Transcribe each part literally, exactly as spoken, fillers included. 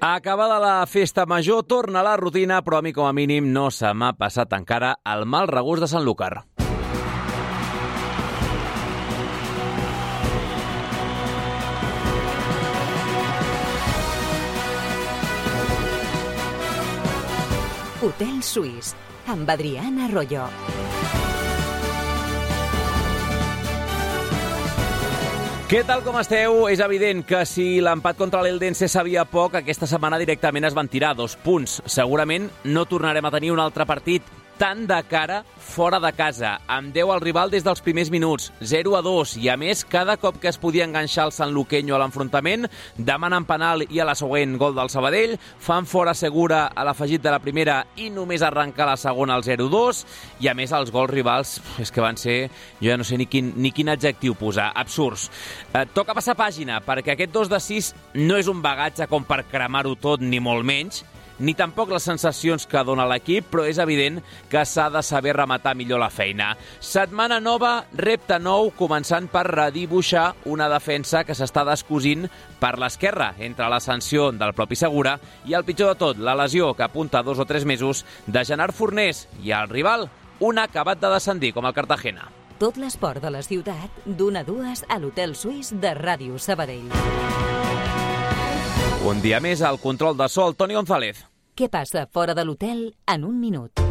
Acabada la festa major, torna la rutina, però a mi com a mínim no se m'ha passat encara el mal regust de Sanlúcar. Hotel Suís, amb Adriana Arroyo. Què tal, com esteu? És evident que si l'empat contra l'Eldense sabia poc, aquesta setmana directament es van tirar dos punts. Segurament no tornarem a tenir un altre partit tan de cara fora de casa, amb deu al rival des dels primers minuts, zero a dos, i a més, cada cop que es podia enganxar el sanluqueño a l'enfrontament, demanen penal i a la següent gol del Sabadell, fan fora segura a l'afegit de la primera i només arrencar la segona al zero a dos, i a més els gols rivals, és que van ser, jo ja no sé ni quin, ni quin adjectiu posar, absurds. Eh, toca passar pàgina, perquè aquest dos de sis no és un bagatge com per cremar-ho tot, ni molt menys, ni tampoc les sensacions que dona l'equip, però és evident que s'ha de saber rematar millor la feina. Setmana nova, repte nou, començant per redibuixar una defensa que s'està descosint per l'esquerra, entre la sanció del propi Segura i el pitjor de tot, la lesió que apunta dos o tres mesos de Gerard Fornés i el rival, un acabat de descendir com el Cartagena. Tot l'esport de la ciutat, d'una a dues a l'Hotel Suís de Ràdio Sabadell. Un dia més al control de so, Toni González. Què passa fora de l'hotel en un minut?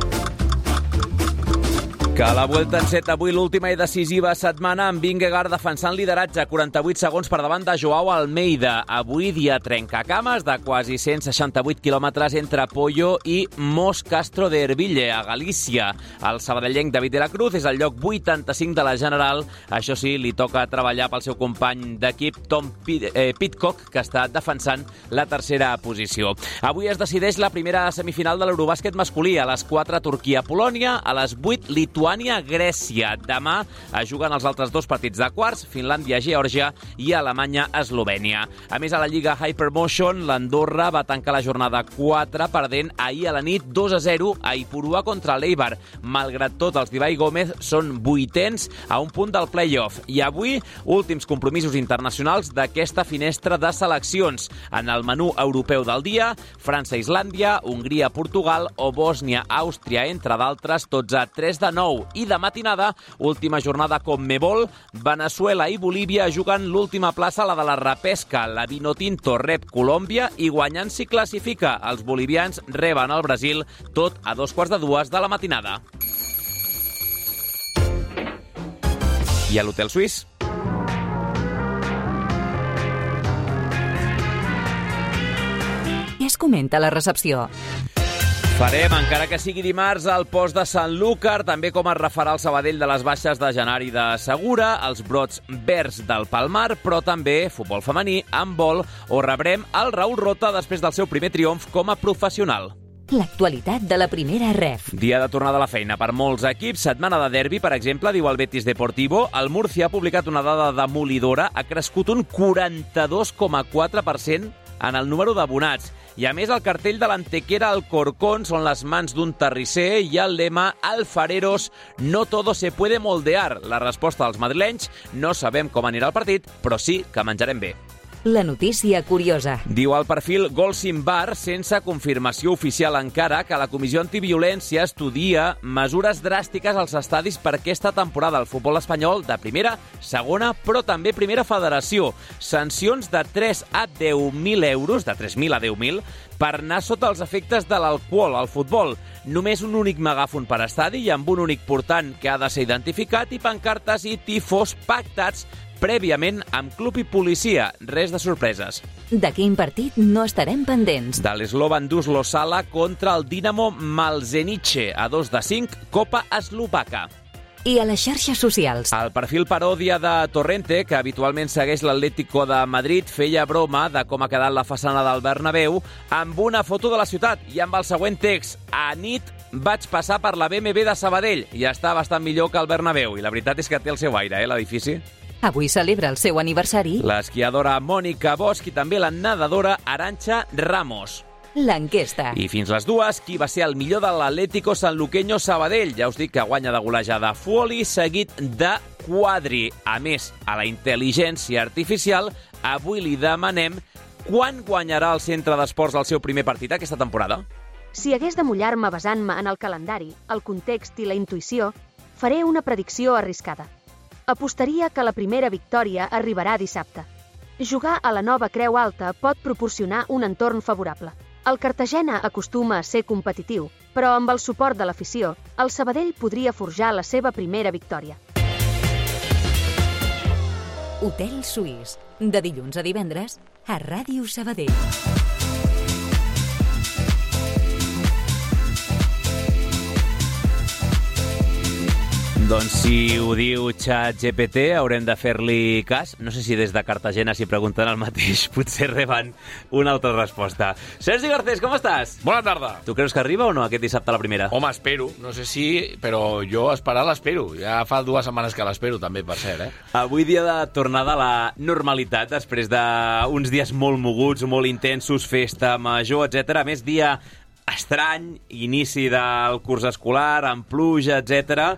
Que a la Vuelta en set avui l'última i decisiva setmana amb Vingegaard defensant lideratge, quaranta-vuit segons per davant de Joao Almeida. Avui dia trencacames de quasi cent seixanta-vuit quilòmetres entre Pollo i Mos Castro de Herville, a Galícia. El sabadellenc David de la Cruz és al lloc vuitanta-cinc de la general. Això sí, li toca treballar pel seu company d'equip Tom Pidcock, que està defensant la tercera posició. Avui es decideix la primera semifinal de l'Eurobàsquet masculí. A les quatre, Turquia-Polònia, a les vuit, Lituània Grècia. Demà es juguen els altres dos partits de quarts, Finlàndia-Geòrgia i Alemanya-Eslovènia. A més, a la Lliga Hypermotion, l'Andorra va tancar la jornada quatre perdent ahir a la nit dos a zero a Ipurua contra l'Eibar. Malgrat tot, els d'Ibai Gómez són vuitens a un punt del play-off. I avui, últims compromisos internacionals d'aquesta finestra de seleccions. En el menú europeu del dia, França-Islàndia, Hongria-Portugal o Bòsnia-Àustria, entre d'altres, tots a tres de nou. I de matinada, última jornada Conmebol, Veneçuela i Bolívia juguen l'última plaça, la de la repesca. La Vinotinto rep Colòmbia i guanyant s'hi classifica. Els bolivians reben el Brasil, tot a dos quarts de dues de la matinada. I a l'Hotel Suís? Què es comenta a la recepció? Farem, encara que sigui dimarts, el post de Sanlúcar, també com es refarà el Sabadell de les baixes de Genari de Segura, els brots verds del Palmar, però també futbol femení, handbol, o rebrem el Raül Rota després del seu primer triomf com a professional. L'actualitat de la primera ref. Dia de tornada a la feina per molts equips. Setmana de derbi, per exemple, diu el Betis Deportivo. El Murcia ha publicat una dada demolidora. Ha crescut un quaranta-dos coma quatre per cent en el número d'abonats. I a més, el cartell de l'Antequera al Corcón són les mans d'un terrisser i el lema Alfareros, no todo se puede moldear. La resposta dels madrilenys, no sabem com anirà el partit, però sí que menjarem bé. La notícia curiosa. Diu el perfil Golsim Bar, sense confirmació oficial encara, que la Comissió Antiviolència estudia mesures dràstiques als estadis per aquesta temporada al futbol espanyol de primera, segona, però també primera federació. Sancions de tres a deu mil euros, de tres mil a deu mil, per anar sota els efectes de l'alcohol al futbol. Només un únic megàfon per estadi i amb un únic portant que ha de ser identificat i pancartes i tifós pactats prèviament amb club i policia. Res de sorpreses. De quin partit no estarem pendents? De l'Slovan Duslo Sala contra el Dinamo Malzenice, a dos de cinc, Copa Eslovaca. I a les xarxes socials. El perfil paròdia de Torrente, que habitualment segueix l'Atlético de Madrid, feia broma de com ha quedat la façana del Bernabéu amb una foto de la ciutat i amb el següent text: a nit vaig passar per la B M W de Sabadell i està bastant millor que el Bernabéu. I la veritat és que té el seu aire, eh, l'edifici. Avui celebra el seu aniversari l'esquiadora Mònica Bosch i també la nedadora Arantxa Ramos. L'enquesta. I fins les dues, qui va ser el millor de l'Atlético Sanluqueño Sabadell? Ja us dic que guanya de golejada Fuoli, seguit de Quadri. A més, a la intel·ligència artificial, avui li demanem Quan guanyarà el Centre d'Esports el seu primer partit aquesta temporada? Si hagués de mullar-me basant-me en el calendari, el context i la intuïció, faré una predicció arriscada. Apostaria que la primera victòria arribarà dissabte. Jugar a la nova Creu Alta pot proporcionar un entorn favorable. El Cartagena acostuma a ser competitiu, però amb el suport de l'afició, el Sabadell podria forjar la seva primera victòria. Hotel Suís, de dilluns a divendres, a Ràdio Sabadell. Doncs si ho diu ChatGPT haurem de fer-li cas. No sé si des de Cartagena s'hi pregunten el mateix, potser reben una altra resposta. Sergi Garcés, com estàs? Bona tarda. Tu creus que arriba o no aquest dissabte a la primera? Home, espero. No sé si, però jo esperar l'espero. Ja fa dues setmanes que l'espero, també, per cert, eh? Avui dia de tornada a la normalitat, després d'uns dies molt moguts, molt intensos, festa major, etcètera. A més, dia estrany, inici del curs escolar, amb pluja, etcètera.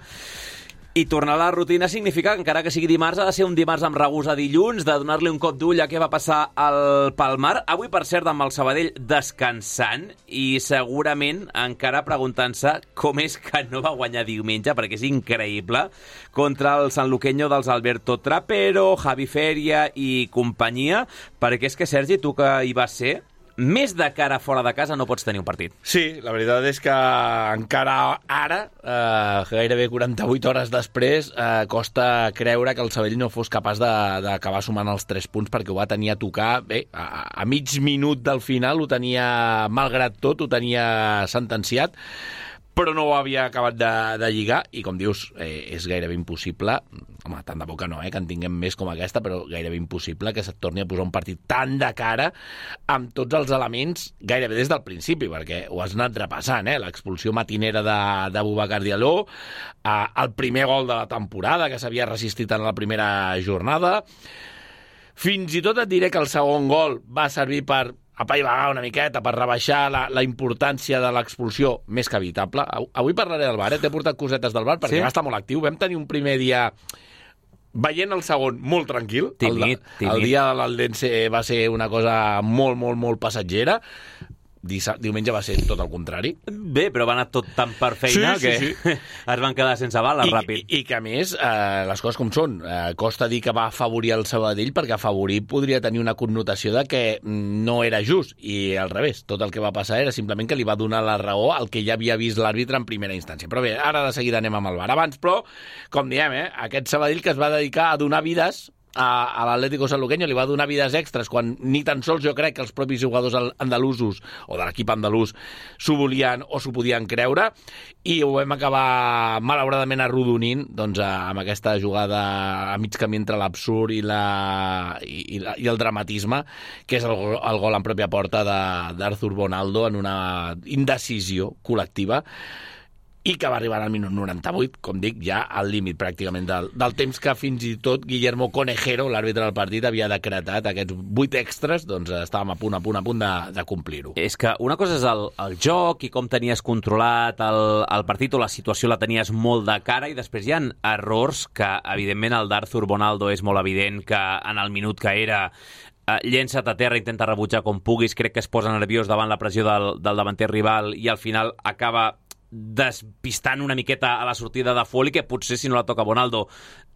I tornar a la rutina significa que encara que sigui dimarts ha de ser un dimarts amb regús a dilluns, de donar-li un cop d'ull a què va passar al Palmar. Avui, per cert, amb el Sabadell descansant i segurament encara preguntant-se com és que no va guanyar diumenge, perquè és increïble, contra el sanluqueño dels Alberto Trapero, Javi Feria i companyia, perquè és que, Sergi, tu que hi vas ser, més de cara fora de casa no pots tenir un partit. Sí, la veritat és que encara ara, eh, gairebé quaranta-vuit hores després, eh, costa creure que el Sabadell no fos capaç d'acabar sumant els tres punts, perquè ho va tenir a tocar, bé, a, a mig minut del final ho tenia, malgrat tot, ho tenia sentenciat, però no ho havia acabat de, de lligar, i com dius, eh, és gairebé impossible, home, tant de bo que no, eh, que en tinguem més com aquesta, però gairebé impossible que se't torni a posar un partit tan de cara amb tots els elements gairebé des del principi, perquè ho has anat repassant, eh, l'expulsió matinera de, de Boubacar Diallo, eh, el primer gol de la temporada que s'havia resistit en la primera jornada, fins i tot et diré que el segon gol va servir per apaivagar una miqueta, per rebaixar la, la importància de l'expulsió, més que evitable. Avui parlaré del VAR, eh? T'he portat cosetes del VAR, perquè sí? Va estar molt actiu. Vam tenir un primer dia veient el segon molt tranquil. Tímid, el, tímid. El dia de l'Aldense va ser una cosa molt, molt, molt passatgera. Dissa, diumenge va ser tot el contrari. Bé, però va anar tot tan per feina sí, sí, que sí. es van quedar sense bales I, ràpid. I, I que, a més, eh, les coses com són. Eh, costa dir que va afavorir el Sabadell, perquè afavorir podria tenir una connotació de que no era just, i al revés. Tot el que va passar era simplement que li va donar la raó al que ja havia vist l'àrbitre en primera instància. Però bé, ara de seguida anem amb el VAR. Abans, però, com diem, eh, aquest Sabadell que es va dedicar a donar vides a, a l'Atlético Sanluqueño, li va donar vides extres quan ni tan sols jo crec que els propis jugadors andalusos o de l'equip andalús s'ho volien o s'ho podien creure, i ho vam acabar malauradament arrodonint, doncs, amb aquesta jugada a mig camí entre l'absurd i, la, i, i, la, i el dramatisme, que és el, el gol en pròpia porta d'Arthur Bonaldo en una indecisió col·lectiva, i que va arribar al minut noranta-vuit, com dic, ja al límit pràcticament del, del temps que fins i tot Guillermo Conejero, l'àrbitre del partit, havia decretat aquests vuit extras, doncs estàvem a punt, a punt, a punt de, de complir-ho. És que una cosa és el, el joc i com tenies controlat el, el partit, o la situació la tenies molt de cara, i després hi ha errors que, evidentment, el d'Arthur Bonaldo és molt evident que en el minut que era Uh, llença't a terra, intenta rebutjar com puguis, crec que es posa nerviós davant la pressió del, del davanter rival i al final acaba despistant una miqueta a la sortida de Foley, que potser si no la toca Bonaldo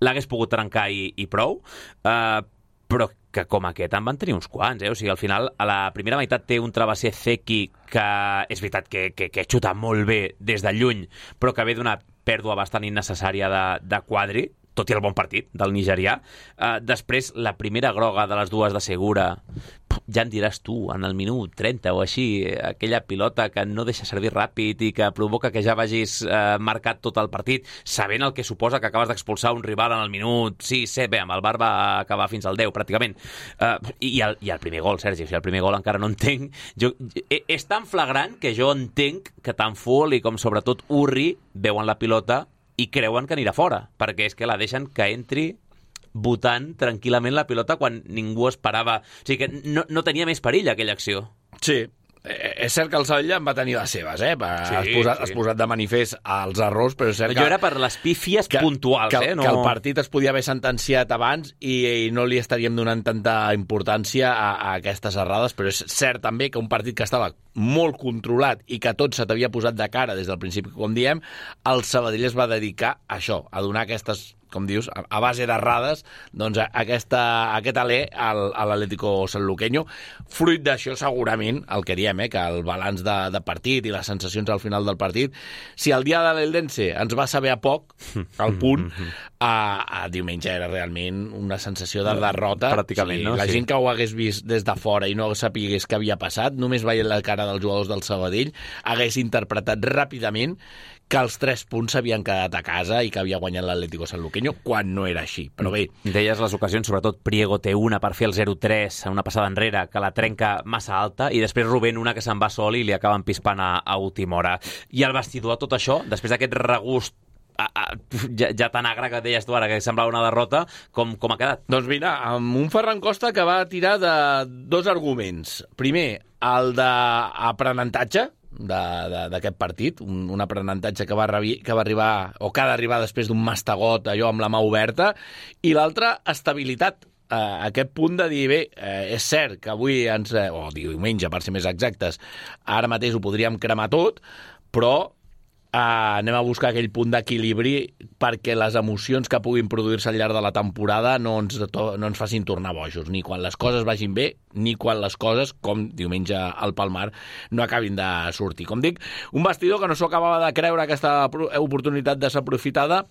l'hagués pogut trencar i, i prou, uh, però que com aquest en van tenir uns quants, eh? O sigui, al final a la primera meitat té un travesser Zeki que és veritat que, que, que xuta molt bé des de lluny, però que ve d'una pèrdua bastant innecessària de, de Quadri, tot i el bon partit del nigerià. Uh, després, la primera groga de les dues de Segura, ja en diràs tu, en el minut trenta o així, aquella pilota que no deixa servir ràpid i que provoca que ja vagis uh, marcat tot el partit, sabent el que suposa que acabes d'expulsar un rival en el minut sis set, bé, amb el VAR va acabar fins al deu, pràcticament. Uh, i, el, I el primer gol, Sergi, o sigui, el primer gol encara no entenc. Jo, és tan flagrant que jo entenc que tant Foley com sobretot Urri veuen la pilota i creuen que anirà fora, perquè és que la deixen que entri botant tranquil·lament la pilota quan ningú esperava. O sigui que no, no tenia més perill aquella acció. Sí, eh, és cert que el Sabadell en va tenir les seves, eh? Sí, has, posat, sí. has posat de manifest els errors, però és cert que... Jo era per les pífies que, puntuals, que, eh? No... Que el partit es podia haver sentenciat abans i, i no li estaríem donant tanta importància a, a aquestes errades, però és cert també que un partit que estava molt controlat i que tot se t'havia posat de cara des del principi, com diem, el Sabadell es va dedicar a això, a donar aquestes, com dius, a base d'errades, doncs aquesta, aquest alè al, a l'Atlético Sanluqueño. Fruit d'això, segurament, el que diem, eh, que el balanç de, de partit i les sensacions al final del partit, si el dia de l'Eldense ens va saber a poc, al punt, a, a diumenge era realment una sensació de derrota. Pràcticament, sí, no? La Sí. gent que ho hagués vist des de fora i no sapigués què havia passat, només veient la cara dels jugadors del Sabadell, hagués interpretat ràpidament que els tres punts s'havien quedat a casa i que havia guanyat l'Atlético Sanluqueño, quan no era així. Però bé... Deies les ocasions, sobretot Priego té una per fer el zero tres, una passada enrere, que la trenca massa alta, i després Rubén una que se'n va sol i li acaben pispant a, a última hora. I el vestidor, tot això, després d'aquest regust a, a, ja, ja tan agre que deies tu ara, que semblava una derrota, com, com ha quedat? Doncs mira, amb un Ferran Costa que va tirar de dos arguments. Primer, el d'aprenentatge, d'aquest partit, un, un aprenentatge que va, rebi, que va arribar, o que ha d'arribar després d'un mastegot, allò amb la mà oberta, i l'altre, estabilitat. Uh, aquest punt de dir, bé, uh, és cert que avui, ens, uh, o diumenge, per ser més exactes, ara mateix ho podríem cremar tot, però Uh, anem a buscar aquell punt d'equilibri perquè les emocions que puguin produir-se al llarg de la temporada no ens, to, no ens facin tornar bojos, ni quan les coses vagin bé, ni quan les coses, com diumenge al Palmar, no acabin de sortir. Com dic, un vestidor que no s'ho acabava de creure aquesta oportunitat desaprofitada,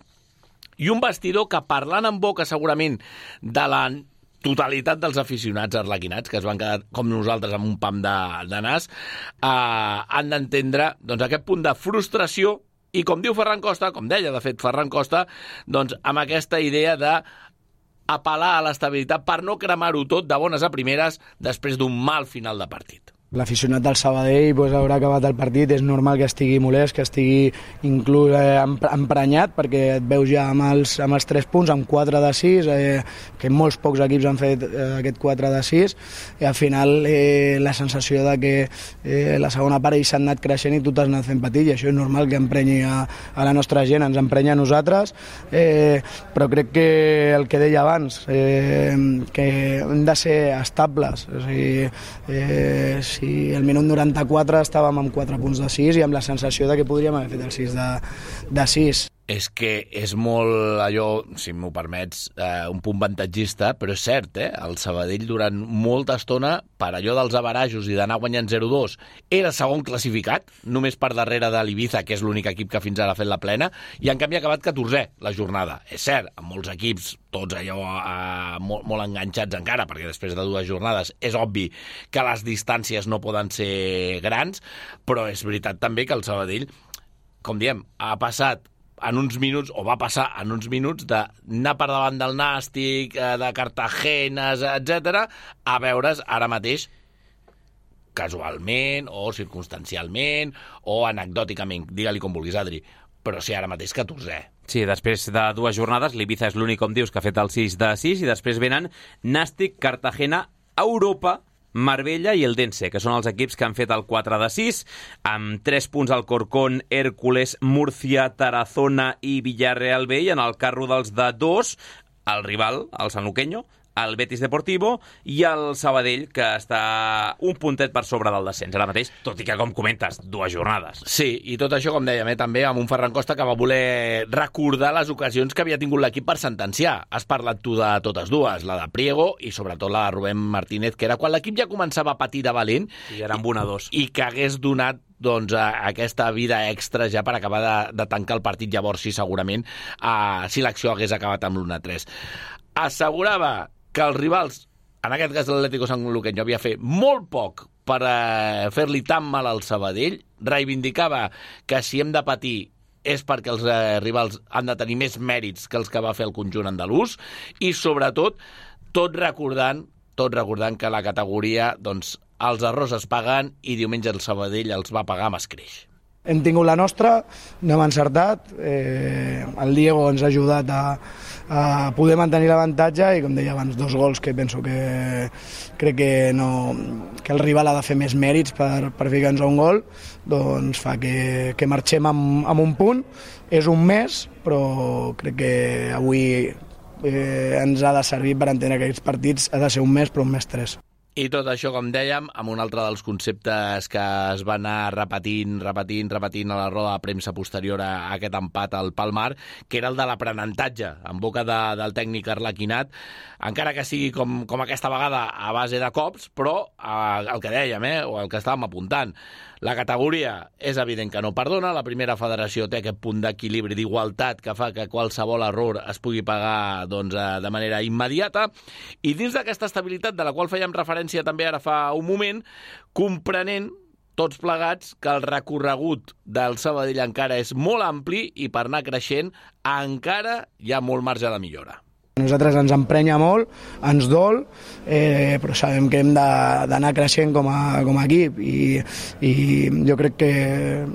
i un vestidor que, parlant en boca segurament de la totalitat dels aficionats arlequinats, que es van quedar com nosaltres amb un pam de, de nas, eh, han d'entendre doncs, aquest punt de frustració i, com diu Ferran Costa, com deia de fet Ferran Costa, doncs, amb aquesta idea de apel·lar a l'estabilitat per no cremar-ho tot de bones a primeres després d'un mal final de partit. L'aficionat del Sabadell pues, haurà acabat el partit, és normal que estigui molest, que estigui inclús eh, emprenyat, perquè et veus ja amb els, amb els tres punts, amb quatre de sis, eh, que molts pocs equips han fet eh, aquest quatre de sis, i al final eh, la sensació de que eh, la segona part ells s'han anat creixent i tu t'has anat fent petit, i això és normal que emprenyi a, a la nostra gent, ens emprenya a nosaltres, eh, però crec que el que deia abans, eh, que hem de ser estables, o sigui, eh, si i al minut noranta-quatre estàvem amb quatre punts de sis i amb la sensació de que podríem haver fet el sis de, de sis. És que és molt allò, si m'ho permets, eh, un punt avantatgista, però és cert, eh? El Sabadell durant molta estona, per allò dels averajos i d'anar guanyant zero dos, era segon classificat, només per darrere de l'Ibiza, que és l'únic equip que fins ara ha fet la plena, i en canvi ha acabat catorzè la jornada. És cert, amb molts equips, tots allò eh, molt, molt enganxats encara, perquè després de dues jornades és obvi que les distàncies no poden ser grans, però és veritat també que el Sabadell, com diem, ha passat en uns minuts, o va passar en uns minuts, d'anar per davant del Nàstic, de Cartagenes, etcètera, a veure's ara mateix casualment o circumstancialment o anecdòticament, digue-li com vulguis, Adri, però sí, ara mateix catorzè. Sí, després de dues jornades, l'Ibiza és l'únic, com dius, que ha fet el sis de sis, i després venen Nàstic, Cartagena, Europa, Marbella i Eldense, que són els equips que han fet el quatre de sis, amb tres punts Alcorcón, Hércules, Múrcia, Tarazona i Villarreal B, i en el carro dels de dos, el rival, el Sanluqueño, el Betis Deportivo i el Sabadell, que està un puntet per sobre del descens ara mateix, tot i que, com comentes, dues jornades. Sí, i tot això, com dèiem, eh, també amb un Ferran Costa que va voler recordar les ocasions que havia tingut l'equip per sentenciar. Has parlat tu de totes dues, la de Priego i sobretot la de Rubén Martínez, que era quan l'equip ja començava a patir de valent. I era amb una a dos. I que hagués donat doncs, a aquesta vida extra ja per acabar de, de tancar el partit, llavors sí, segurament, uh, si l'acció hagués acabat amb l'u a tres. Assegurava que els rivals, en aquest cas l'Atlético Sanluqueño, havia fet molt poc per eh, fer-li tan mal al Sabadell, reivindicava que si hem de patir és perquè els eh, rivals han de tenir més mèrits que els que va fer el conjunt andalús, i sobretot tot recordant, tot recordant que la categoria, doncs, els errors es paguen, i diumenge el Sabadell els va pagar amb escreix. Hem tingut la nostra, no hem encertat, eh, el Diego ens ha ajudat a, a poder mantenir l'avantatge i, com deia abans, dos gols que penso que crec que, no, que el rival ha de fer més mèrits per, per ficar-nos un gol, doncs fa que, que marxem amb, amb un punt. És un mes, però crec que avui eh, ens ha de servir per entendre que aquests partits ha de ser un mes, però un mes tres. I tot això, com dèiem, amb un altre dels conceptes que es va anar repetint, repetint, repetint a la roda de premsa posterior a aquest empat al Palmar, que era el de l'aprenentatge en boca de, del tècnic Arlequinat, encara que sigui com, com aquesta vegada a base de cops, però eh, el que dèiem, eh, o el que estàvem apuntant, la categoria és evident que no perdona, la primera federació té aquest punt d'equilibri, d'igualtat, que fa que qualsevol error es pugui pagar doncs, de manera immediata, i dins d'aquesta estabilitat de la qual fèiem referència també ara fa un moment, comprenent tots plegats que el recorregut del Sabadell encara és molt ampli i per anar creixent encara hi ha molt marge de millora. A nosaltres ens emprenya molt, ens dol, eh, però sabem que hem d'anar creixent com a, com a equip i, i jo crec que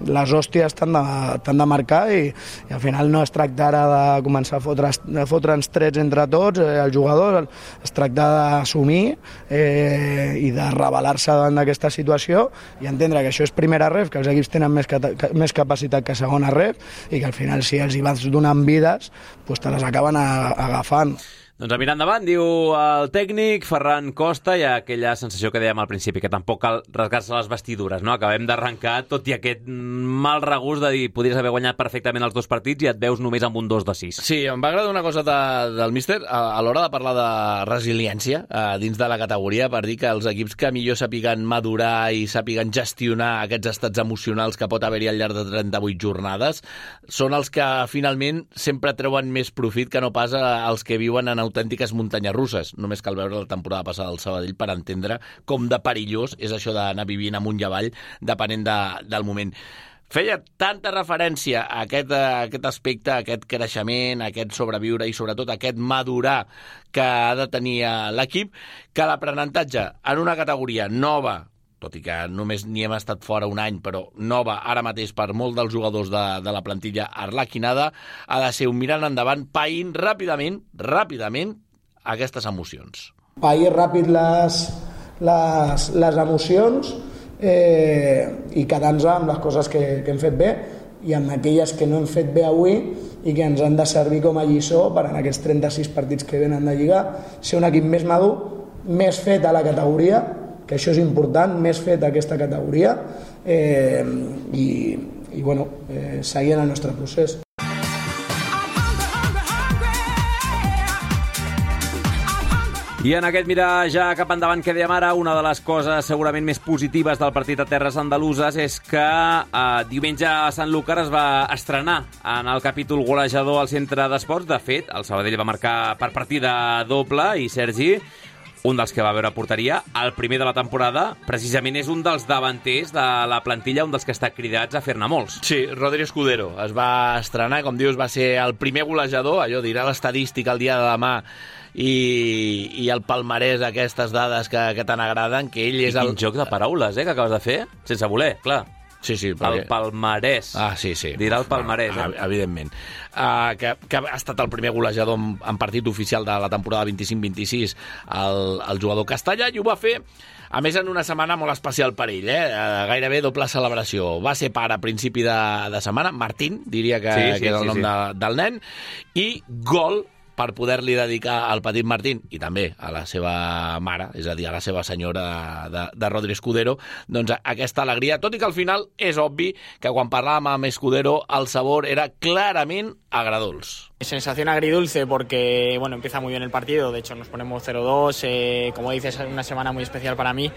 les hòsties t'han de, t'han de marcar i, i al final no es tracta ara de començar a fotre, a fotre'ns trets entre tots, eh, els jugadors, es tracta d'assumir eh, i de rebel·lar-se davant d'aquesta situació i entendre que això és primera ref, que els equips tenen més, que, més capacitat que segona ref i que al final si els hi vas donant vides doncs te les acaben a, agafant. Doncs a mirar endavant, diu el tècnic Ferran Costa, i aquella sensació que dèiem al principi, que tampoc cal rasgar-se les vestidures, no? Acabem d'arrencar, tot i aquest mal regust de dir podries haver guanyat perfectament els dos partits i et veus només amb un dos de sis. Sí, em va agradar una cosa de, del míster a, a l'hora de parlar de resiliència a, dins de la categoria, per dir que els equips que millor sàpiguen madurar i sàpiguen gestionar aquests estats emocionals que pot haver-hi al llarg de trenta-vuit jornades són els que finalment sempre treuen més profit que no pas els que viuen en autèntiques muntanyes russes. Només cal veure la temporada passada del Sabadell per entendre com de perillós és això d'anar vivint amunt i avall depenent de, del moment. Feia tanta referència a aquest, a aquest aspecte, a aquest creixement, a aquest sobreviure i sobretot a aquest madurar que ha de tenir l'equip, que l'aprenentatge en una categoria nova, tot i que només n'hi hem estat fora un any, però nova ara mateix per molts dels jugadors de, de la plantilla arlequinada, ha de ser un mirant endavant, païnt ràpidament, ràpidament, aquestes emocions. Pair ràpid les, les, les emocions eh, i quedar-nos amb les coses que, que hem fet bé i amb aquelles que no hem fet bé avui i que ens han de servir com a lliçó per en aquests trenta-sis partits que venen de Lliga ser un equip més madur, més fet a la categoria, que això és important, més fet aquesta categoria eh, i, i bueno, eh, seguir en el nostre procés. I en aquest mirar ja cap endavant que dèiem ara, una de les coses segurament més positives del partit a Terres Andaluses és que eh, diumenge a Sant Lúcar es va estrenar en el capítol golejador al centre d'esports. De fet, el Sabadell va marcar per partida doble i Sergi, un dels que va veure porteria, el primer de la temporada, precisament és un dels davanters de la plantilla, un dels que està cridats a fer-ne molts. Sí, Rodri Escudero es va estrenar, com dius, va ser el primer golejador, allò dirà l'estadística el dia de demà, i, i el palmarès, aquestes dades que, que tan agraden, que ell és I el... quin joc de paraules, eh, que acabes de fer, sense voler, clar. Sí, sí, perquè... El palmarès. Ah, sí, sí. Dirà el palmarès, eh? Evidentment. Uh, que, que ha estat el primer golejador en, en partit oficial de la temporada vint-i-cinc vint-i-sis el, el jugador castellà, i ho va fer, a més, en una setmana molt especial per ell, eh? Uh, gairebé doble celebració. Va ser pare a principi de, de setmana, Martín, diria que, sí, sí, que era el sí, nom sí. De, del nen, i gol per poder-li dedicar al petit Martín i també a la seva mare, és a dir, a la seva senyora de, de Rodri Escudero, doncs aquesta alegria, tot i que al final és obvi que quan parlàvem amb Escudero el sabor era clarament agradolç. Sensación agridulce porque, bueno, empieza muy bien el partido, de hecho nos ponemos cero dos, eh, como dices, es una semana muy especial para mí.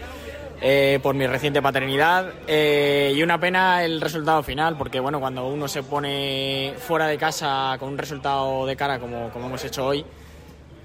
Eh, por mi reciente paternidad eh, y una pena el resultado final porque bueno, cuando uno se pone fuera de casa con un resultado de cara como, como hemos hecho hoy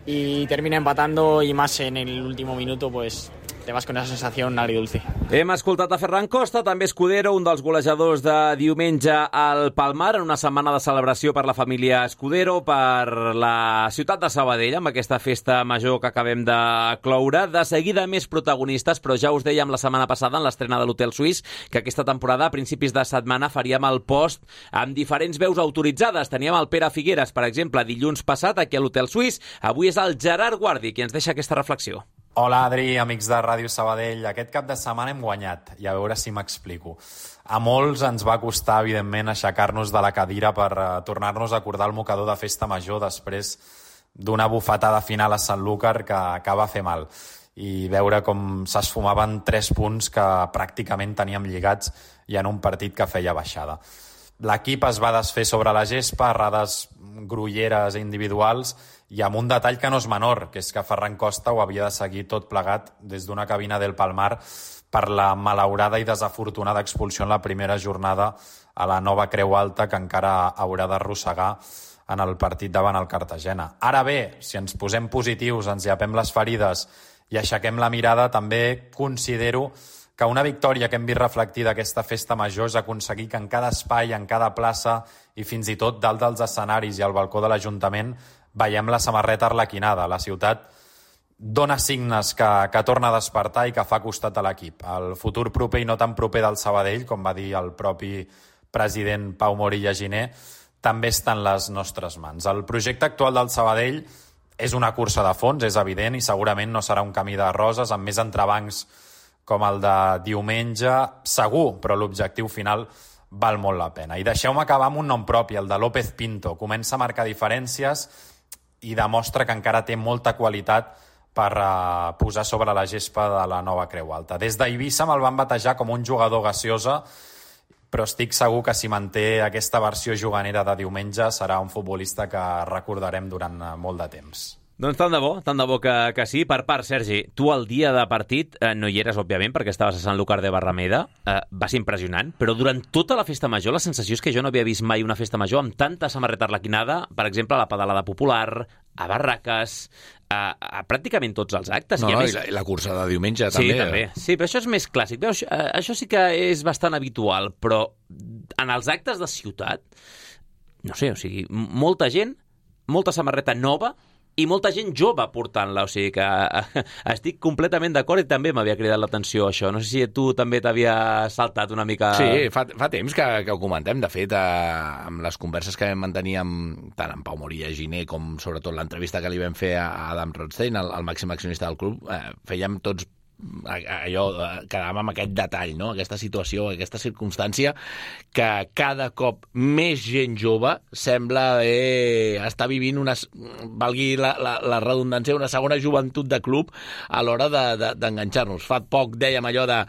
y termina empatando y más en el último minuto, pues te vas con esa sensación agridulce. Hem escoltat a Ferran Costa, també Escudero, un dels golejadors de diumenge al Palmar, en una setmana de celebració per la família Escudero, per la ciutat de Sabadell, amb aquesta festa major que acabem de cloure. De seguida més protagonistes, però ja us dèiem la setmana passada, en l'estrena de l'Hotel Suís, que aquesta temporada, a principis de setmana, faríem el post amb diferents veus autoritzades. Teníem el Pere Figueres, per exemple, dilluns passat, aquí a l'Hotel Suís. Avui és el Gerard Guardi qui ens deixa aquesta reflexió. Hola, Adri, amics de Ràdio Sabadell. Aquest cap de setmana hem guanyat, i a veure si m'explico. A molts ens va costar, evidentment, aixecar-nos de la cadira per uh, tornar-nos a acordar el mocador de festa major després d'una bufetada final a Sanlúcar que, que va fer mal, i veure com s'esfumaven tres punts que pràcticament teníem lligats i en un partit que feia baixada. L'equip es va desfer sobre la gespa, errades grolleres individuals, i amb un detall que no és menor, que és que Ferran Costa ho havia de seguir tot plegat des d'una cabina del Palmar per la malaurada i desafortunada expulsió en la primera jornada a la nova Creu Alta que encara haurà d'arrossegar en el partit davant el Cartagena. Ara bé, si ens posem positius, ens llapem les ferides i aixequem la mirada, també considero que una victòria que hem vist reflectida aquesta festa major és aconseguir que en cada espai, en cada plaça i fins i tot dalt dels escenaris i al balcó de l'Ajuntament veiem la samarreta arlequinada. La ciutat dona signes que, que torna a despertar i que fa costat a l'equip. El futur proper i no tan proper del Sabadell, com va dir el propi president Pau Morilla Giner, també està en les nostres mans. El projecte actual del Sabadell és una cursa de fons, és evident, i segurament no serà un camí de roses amb més entrebancs com el de diumenge, segur, però l'objectiu final val molt la pena. I deixeu-me acabar amb un nom propi, el de López Pinto. Comença a marcar diferències i demostra que encara té molta qualitat per uh, posar sobre la gespa de la nova Creu Alta. Des d'Eivissa me'l van batejar com un jugador gaseosa, però estic segur que si manté aquesta versió juganera de diumenge serà un futbolista que recordarem durant uh, molt de temps. Doncs tant de bo, tant de bo que, que sí. Per part, Sergi, tu el dia de partit eh, no hi eres, òbviament, perquè estaves a Sant Lúcar de Barrameda. Eh, va ser impressionant, però durant tota la festa major la sensació és que jo no havia vist mai una festa major amb tanta samarreta arlequinada, per exemple, a la pedalada popular, a barraques, a, a pràcticament tots els actes. No, I no, més... i, la, i la cursa de diumenge sí, també. també. Sí, però això és més clàssic. Veus, eh, això sí que és bastant habitual, però en els actes de ciutat, no sé, o sigui, molta gent, molta samarreta nova, i molta gent jove portant-la, o sigui que estic completament d'acord i també m'havia cridat l'atenció això. No sé si tu també t'havia saltat una mica... Sí, fa, fa temps que, que ho comentem. De fet, eh, amb les converses que vam mantenir amb, tant amb Pau Morilla Giner com sobretot l'entrevista que li vam fer a Adam Rothstein, el, el màxim accionista del club, eh, fèiem tots allò, quedàvem amb aquest detall, no? Aquesta situació, aquesta circumstància que cada cop més gent jove sembla eh, estar vivint una, valgui la, la, la redundància, una segona joventut de club a l'hora d'enganxar-nos. Fa poc dèiem allò de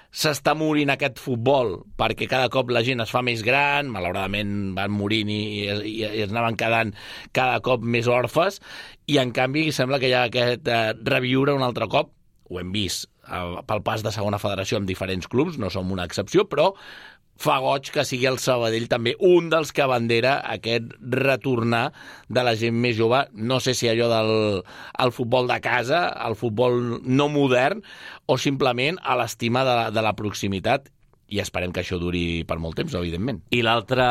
s'està morint aquest futbol perquè cada cop la gent es fa més gran, malauradament van morint i, i, i es anaven quedant cada cop més orfes, i en canvi sembla que hi ha aquest eh, reviure un altre cop. Ho hem vist eh, pel pas de segona federació amb diferents clubs, no som una excepció, però fa goig que sigui el Sabadell també un dels que abandera aquest retornar de la gent més jove, no sé si allò del el futbol de casa, el futbol no modern, o simplement a l'estima de, la, de la proximitat, i esperem que això duri per molt temps, evidentment. I l'altre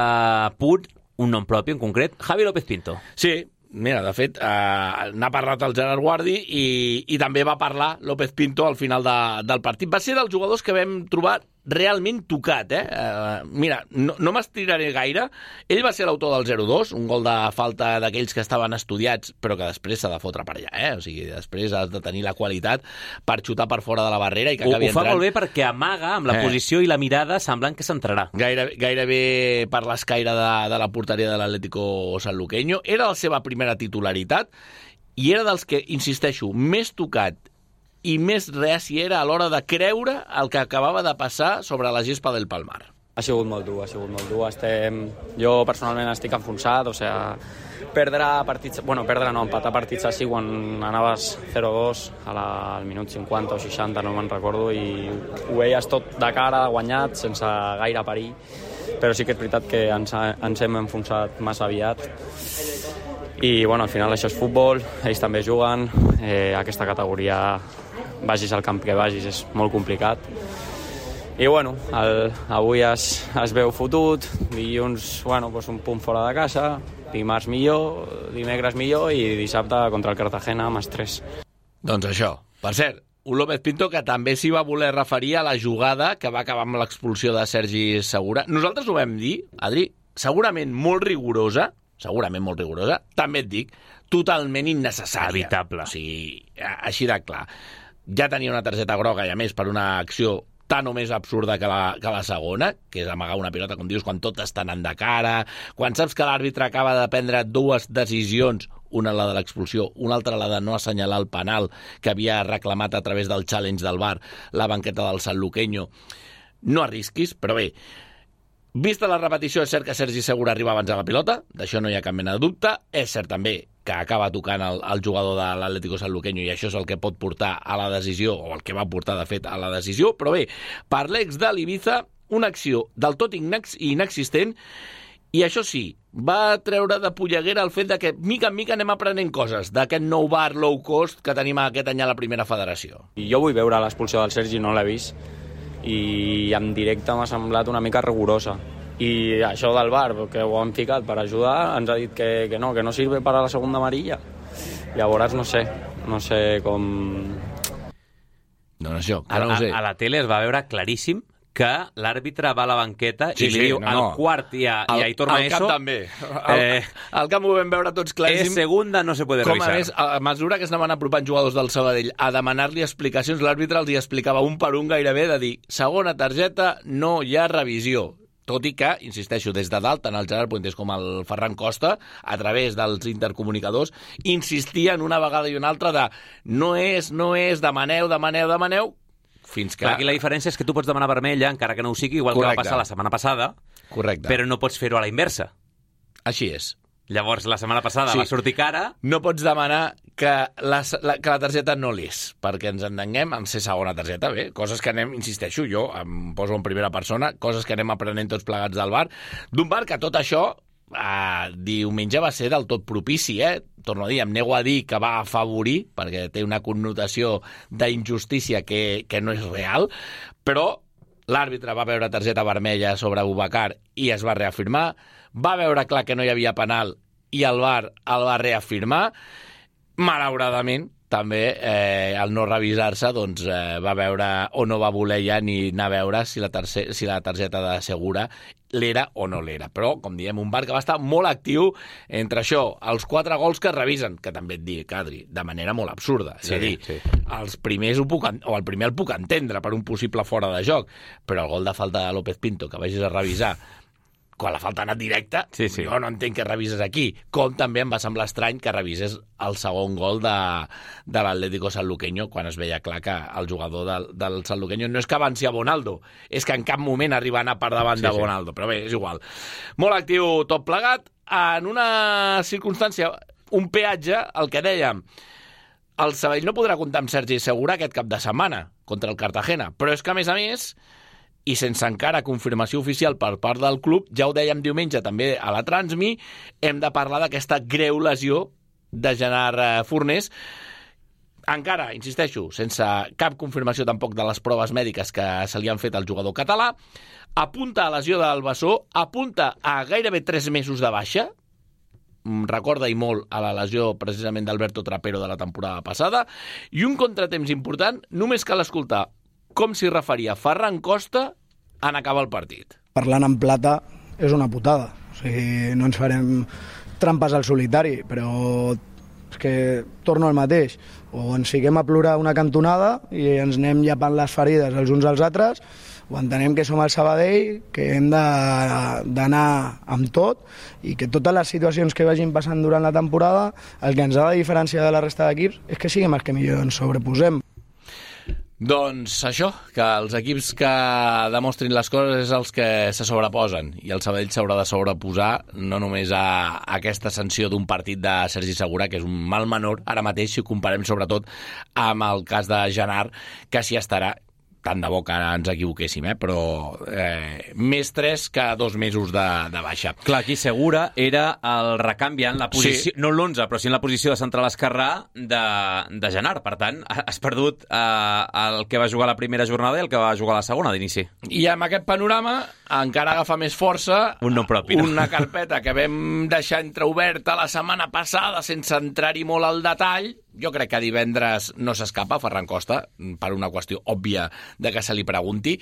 punt, un nom propi en concret, Javi López Pinto. Sí, mira, de fet, eh, n'ha parlat el Gerard Guardi i, i també va parlar López Pinto al final de, del partit. Va ser dels jugadors que vam trobar realment tocat, eh? Uh, mira, no, no m'estiraré gaire. Ell va ser l'autor del zero dos, un gol de falta d'aquells que estaven estudiats, però que després s'ha de fotre per allà, eh? O sigui, després has de tenir la qualitat per xutar per fora de la barrera i que acabi entrant. Ho fa entrant. molt bé perquè amaga amb la eh. posició i la mirada semblant que s'entrarà. Gairebé, gairebé per l'escaire de, de la porteria de l'Atlético Sanluqueño. Era la seva primera titularitat i era dels que, insisteixo, més tocat i més reaci era a l'hora de creure el que acabava de passar sobre la gespa del Palmar. Ha sigut molt dur, ha sigut molt dur. Estem... Jo personalment estic enfonsat, o sigui, perdre partits... Bueno, perdre no, empatar partits així quan anaves zero dos a la, al minut cinquanta o seixanta, no me'n recordo, i ho veies tot de cara, guanyat, sense gaire perill, però sí que és veritat que ens, ens hem enfonsat massa aviat. I bueno, al final això és futbol, ells també juguen, eh, aquesta categoria vagis al camp que vagis, és molt complicat. I bueno, el, avui es, es veu fotut, dilluns, bueno, pues un punt fora de casa, dimarts millor, dimecres millor i dissabte contra el Cartagena amb estrès. Doncs això. Per cert, un López Pinto que també s'hi va voler referir a la jugada que va acabar amb l'expulsió de Sergi Segura. Nosaltres ho vam dir, Adri, segurament molt rigorosa, segurament molt rigorosa, també et dic, totalment innecessària. Evitable. O sigui, així de clar. Ja tenia una targeta groga i a més per una acció tan o més absurda que la, que la segona, que és amagar una pilota, com dius, quan tot està anant de cara, quan saps que l'àrbitre acaba de prendre dues decisions, una la de l'expulsió, una altra la de no assenyalar el penal que havia reclamat a través del challenge del V A R la banqueta del Sanluqueño. No arrisquis, però bé, vista la repetició, és cert que Sergi Segura arriba abans de la pilota, d'això no hi ha cap mena de dubte. És cert també que acaba tocant el, el jugador de l'Atlético Sanluqueño i això és el que pot portar a la decisió, o el que va portar, de fet, a la decisió. Però bé, per l'ex de l'Ibiza, una acció del tot inex inexistent, i això sí, va treure de polleguera el fet de que mica en mica anem aprenent coses d'aquest nou V A R low cost que tenim aquest any a la primera federació. I jo vull veure l'expulsió del Sergi, no l'he vist, i en directe m'ha semblat una mica rigorosa. I això del V A R, que ho han ficat per ajudar, ens ha dit que, que no, que no sirve para la segunda amarilla. Llavors no sé, no sé com... No, no, això, A, no ho sé. a, a la tele es va veure claríssim que l'àrbitre va a la banqueta Sí, i li sí, diu no, al no. quart i a, i a Aitor Al Maeso... camp també. Al, Eh, al camp ho vam veure tots claríssim. és segunda, no se puede Com revisar. a més, a mesura que es anaven apropant jugadors del Sabadell a demanar-li explicacions, l'àrbitre els hi explicava un per un gairebé de dir segona targeta, no hi ha revisió. Tot i que, insisteixo, des de dalt, tant el Gerard Puentes com el Ferran Costa, a través dels intercomunicadors, insistien una vegada i una altra de no és, no és, demaneu, demaneu, demaneu, fins que... Clar, aquí la diferència és que tu pots demanar vermella, encara que no ho sigui, igual Correcte. que va passar la setmana passada, Correcte. però no pots fer-ho a la inversa. Així és. Llavors, la setmana passada Sí. va sortir cara... No pots demanar que la, la, que la targeta no l'és, perquè ens entenguem en ser segona targeta, bé, coses que anem, insisteixo, jo em poso en primera persona, coses que anem aprenent tots plegats del V A R, d'un V A R que tot això eh, diumenge va ser del tot propici, eh? Torno a dir, em nego a dir que va afavorir, perquè té una connotació d'injustícia que, que no és real, però l'àrbitre va veure targeta vermella sobre Boubacar i es va reafirmar, va veure clar que no hi havia penal i el V A R el va reafirmar. Malauradament, també, eh, al no revisar-se, doncs, eh, va veure o no va voler ja ni anar a veure si la, tercer, si la targeta de Segura l'era o no l'era. Però, com diem, un V A R que va estar molt actiu entre això, els quatre gols que es revisen, que també et dic, Adri, de manera molt absurda. És Sí, a dir, sí. els primers ho puc, en- o el primer el puc entendre per un possible fora de joc, però el gol de falta de López Pinto, que vagis a revisar quan la falta ha anat directa, Sí, sí. jo no entenc que revises aquí. Com també em va semblar estrany que revises el segon gol de, de l'Atlético Sanluqueño quan es veia clar que el jugador del, del Sanluqueño no és que avanci a Bonaldo, és que en cap moment arriba a anar per davant Sí, de sí. Bonaldo, però bé, és igual. Molt actiu tot plegat, en una circumstància, un peatge, el que dèiem, el Sabadell no podrà comptar amb Sergi Segura aquest cap de setmana contra el Cartagena, però és que, a més a més, i sense encara confirmació oficial per part del club, ja ho dèiem diumenge també a la Transmi, hem de parlar d'aquesta greu lesió de Gerard Fornés. Encara, insisteixo, sense cap confirmació tampoc de les proves mèdiques que se li han fet al jugador català, apunta a lesió del bessó, apunta a gairebé tres mesos de baixa, recorda i molt a la lesió precisament d'Alberto Trapero de la temporada passada, i un contratemps important, només cal escoltar com s'hi referia Ferran Costa en acabar el partit. Parlant en plata és una putada. O sigui, no ens farem trampes al solitari, però és que torno al mateix. O ens fiquem a plorar una cantonada i ens anem llapant les ferides els uns als altres, o entenem que som el Sabadell, que hem d'anar amb tot i que totes les situacions que vagin passant durant la temporada, el que ens ha de diferenciar de la resta d'equips és que siguem els que millor ens sobreposem. Doncs això, que els equips que demostrin les coses és els que se sobreposen, i el Sabadell s'haurà de sobreposar no només a aquesta sanció d'un partit de Sergi Segura, que és un mal menor ara mateix, si ho comparem sobretot amb el cas de Gerard, que s'hi estarà. tant de bo que ara ens equivoquéssim, eh? Però eh, més tres que dos mesos de, de baixa. Clar, aquí Segura era el recanviant la posició, sí. no l'onze, però sí en la posició de central esquerrà de, de Genart. Per tant, has perdut eh, el que va jugar la primera jornada i el que va jugar la segona d'inici. I amb aquest panorama encara agafa més força un nom propi, no? Una carpeta que vam deixar entreoberta la setmana passada sense entrar-hi molt al detall. Jo crec que divendres no s'escapa Ferran Costa, per una qüestió òbvia de que se li pregunti,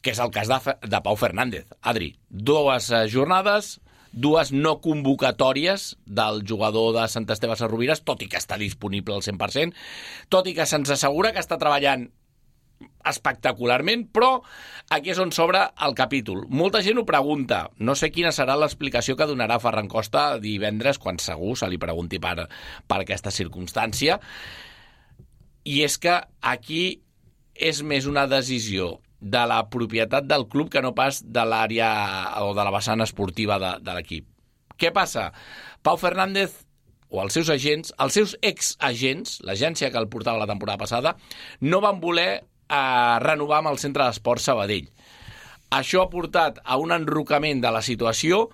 que és el cas de, de Pau Fernández. Adri, dues jornades, dues no convocatòries del jugador de Sant Esteve Sesrovires, tot i que està disponible al cent per cent, tot i que se'ns assegura que està treballant espectacularment, però aquí és on s'obre el capítol. Molta gent ho pregunta. No sé quina serà l'explicació que donarà Ferran Costa divendres, quan segur se li pregunti per, per aquesta circumstància. I és que aquí és més una decisió de la propietat del club que no pas de l'àrea o de la vessant esportiva de, de l'equip. Què passa? Pau Fernández o els seus agents, els seus ex-agents, l'agència que el portava la temporada passada, no van voler a renovar amb el Centre d'Esport Sabadell. Això ha portat a un enrocament de la situació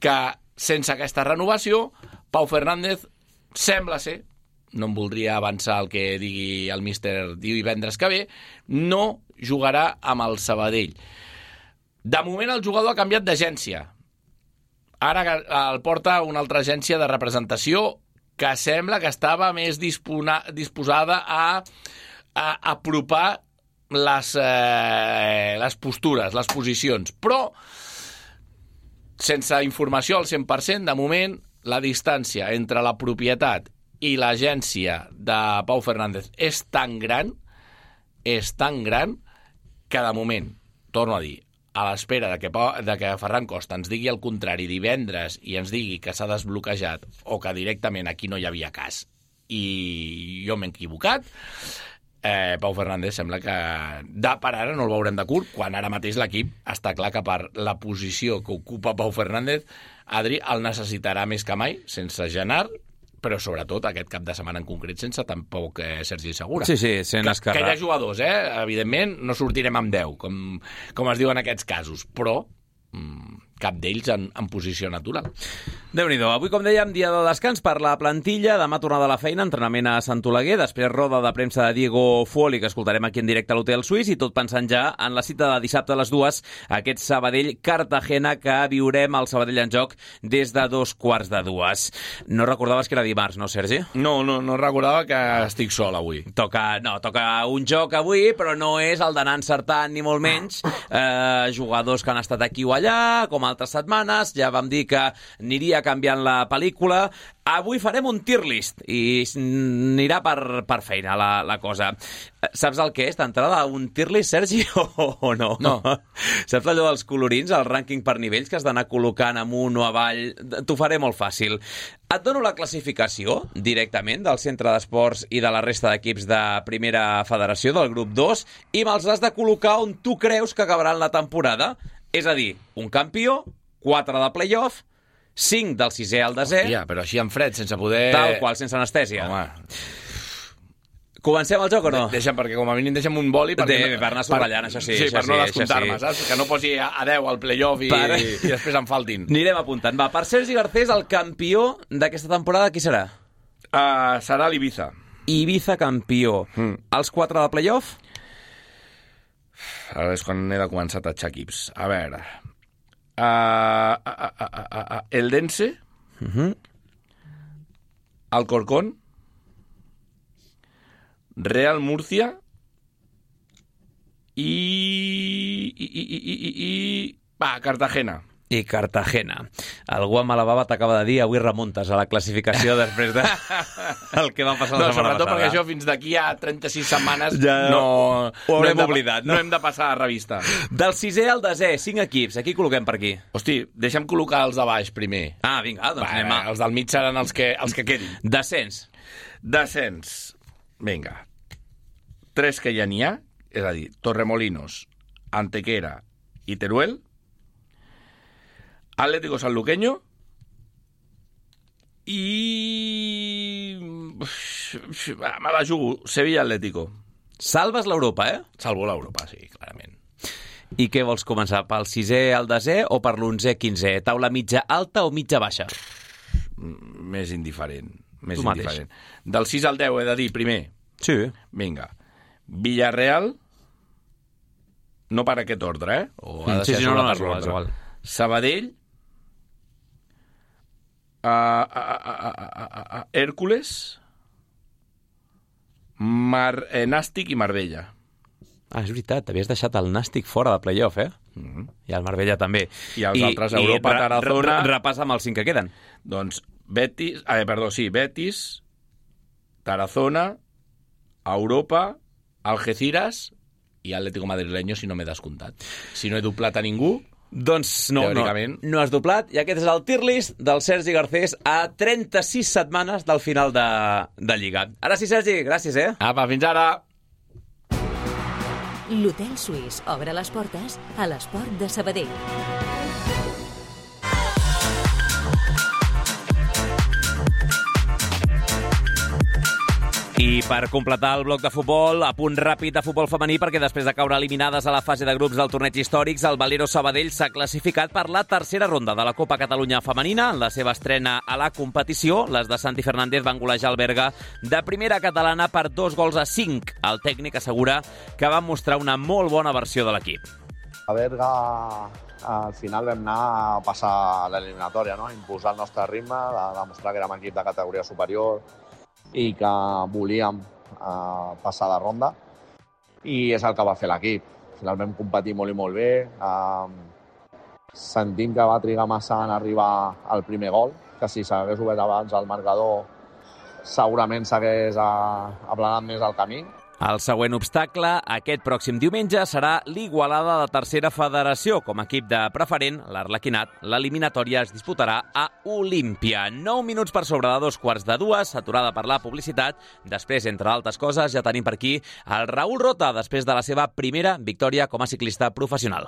que, sense aquesta renovació, Pau Fernández sembla ser, no em voldria avançar el que digui el míster divendres que ve, no jugarà amb el Sabadell. De moment el jugador ha canviat d'agència. Ara el porta una altra agència de representació que sembla que estava més dispona, disposada a a apropar les, eh, les postures, les posicions. Però, sense informació al cent per cent, de moment, la distància entre la propietat i l'agència de Pau Fernández és tan gran, és tan gran, que de moment, torno a dir, a l'espera de que, de que Ferran Costa ens digui el contrari divendres i ens digui que s'ha desbloquejat o que directament aquí no hi havia cas i jo m'he equivocat, Eh, Pau Fernández sembla que de per ara no el veurem de curt, quan ara mateix l'equip està clar que per la posició que ocupa Pau Fernández, Adri el necessitarà més que mai, sense Genart, però sobretot aquest cap de setmana en concret sense tampoc eh, Sergi Segura. Sí, sí, sent que, esquerrà. Que hi ha jugadors, eh? Evidentment no sortirem amb deu, com, com es diu en aquests casos, però mm, cap d'ells en, en posició natural. Déu-n'hi-do. Avui, com dèiem, dia de descans per la plantilla. Demà tornada a la feina, entrenament a Sant Oleguer, després roda de premsa de Diego Fuoli, que escoltarem aquí en directe a l'Hotel Suís, i tot pensant ja en la cita de dissabte a les dues, aquest Sabadell-Cartagena que viurem al Sabadell en joc des de dos quarts de dues. No recordaves que era dimarts, no, Sergi? No, no, no recordava que estic sol avui. Toca, no, toca un joc avui, però no és el d'anar encertant ni molt menys. Eh, jugadors que han estat aquí o allà, com altres setmanes, ja vam dir que aniria canviant la pel·lícula. Avui farem un tier list i anirà per, per feina la, la cosa. Saps el que és d'entrada un tier list, Sergi, o, o no? No. Saps allò dels colorins, el rànquing per nivells que has d'anar col·locant amunt o avall? T'ho faré molt fàcil. Et dono la classificació directament del Centre d'Esports i de la resta d'equips de Primera Federació, del grup dos, i me'ls has de col·locar on tu creus que acabaran la temporada. És a dir, un campió, quatre de play-off, cinc del sisè al desè... Hòstia, però així en fred, sense poder... Tal qual, sense anestèsia. Home. Comencem el joc o no? Deixa'm, perquè com a mínim deixa'm un boli... De, no, per anar subratllant, això sí. Sí, això per no sí, descomptar-me, sí. saps? Que no posi a deu al play-off i, per... i després em faltin. Anirem apuntant. Va, per Sergi Garcés, el campió d'aquesta temporada, qui serà? Uh, serà l'Ibiza. Ibiza campió. Mm. Els quatre de play-off? Ara és quan he de començar a tatxar equips. A veure... Uh, uh, uh, uh, uh, uh, Eldense, uh-huh. Alcorcón, Real Murcia i... i, i, i, i, i... Va, Cartagena. I Cartagena. Algú amb la bava t'acaba de dir avui remuntes a la classificació després de el que va passar la no, setmana sobretot passada. Perquè això fins d'aquí a trenta-sis setmanes ja no, ho haurem no oblidat. No? no hem de passar a revista. Del sisè al desè, cinc equips. Aquí col·loquem per aquí. Hosti, deixa'm col·locar els de baix primer. Ah, vinga, doncs Va, anem a... Els del mig seran els que, els que quedin. Descens. Descens. Vinga. Tres que ja n'hi ha, és a dir, Torremolinos, Antequera i Teruel. Atlético Sanluqueño i... me la jugo, Sevilla Atlético. Salves l'Europa, eh? Salvo l'Europa, sí, clarament. I què vols començar? Pel sisè al desè o per l'onzè quinzè? Taula mitja alta o mitja baixa? Més indiferent. Més Tu mateix. indiferent. Del sis al deu he de dir primer. Sí. Vinga. Villarreal, no per aquest ordre, eh? O ha de Sí, ser sí, no, sobre no, per és igual, l'ordre. és igual. Sabadell, uh, uh, uh, uh, uh, uh, Hèrcules, Mar, eh, Nàstic i Marbella. Ah, és veritat, t'havies deixat el Nàstic fora de playoff, eh? Mm-hmm. I el Marbella també. I els altres, Europa, re- Tarazona... re- Repassa amb els cinc que queden. Doncs Betis, eh, perdó, sí, Betis, Tarazona, Europa, Algeciras i Atlético Madrileño, si no m'he descomptat. Si no he doblat a ningú... Doncs no, no, Teòricament. no has doblat, i aquest és el tier list del Sergi Garcés a trenta-sis setmanes del final de, de Lliga. Ara sí, Sergi, gràcies, eh? Apa, fins ara! L'Hotel Suís obre les portes a l'Esport de Sabadell. I per completar el bloc de futbol, a punt ràpid de futbol femení, perquè després de caure eliminades a la fase de grups del torneig històrics, el Valero Sabadell s'ha classificat per la tercera ronda de la Copa Catalunya Femenina. En la seva estrena a la competició, les de Santi Fernández van golejar el Berga de primera catalana per dos gols a cinc. El tècnic assegura que van mostrar una molt bona versió de l'equip. A Berga, al final vam anar a passar l'eliminatòria, no? Imposar el nostre ritme, de demostrar que érem equip de categoria superior i que volíem uh, passar de ronda, i és el que va fer l'equip. Al final vam competir molt i molt bé, uh, sentim que va trigar massa en arribar al primer gol, que si s'hagués obert abans el marcador segurament s'hagués uh, aplanat més el camí. El següent obstacle, aquest pròxim diumenge, serà l'Igualada de Tercera Federació. Com a equip de preferent, l'Arlequinat, l'eliminatòria es disputarà a Olímpia. Nou minuts per sobre de dos quarts de dues, aturada per la publicitat. Després, entre altres coses, ja tenim per aquí el Raül Rota, després de la seva primera victòria com a ciclista professional.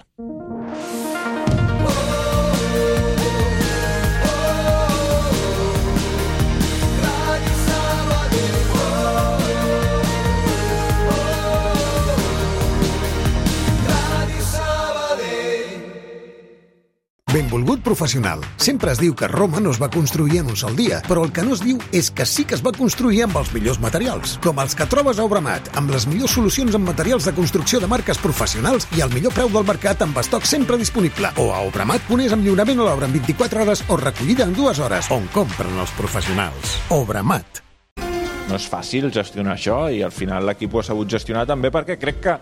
Benvolgut professional. Sempre es diu que Roma no es va construir en un sol dia, però el que no es diu és que sí que es va construir amb els millors materials, com els que trobes a Obramat, amb les millors solucions en materials de construcció de marques professionals i el millor preu del mercat amb estoc sempre disponible. O a Obramat ponés amb lliurament a l'obra en vint-i-quatre hores o recollida en dues hores, on compren els professionals. Obramat. No és fàcil gestionar això i al final l'equip ho ha sabut gestionar també perquè crec que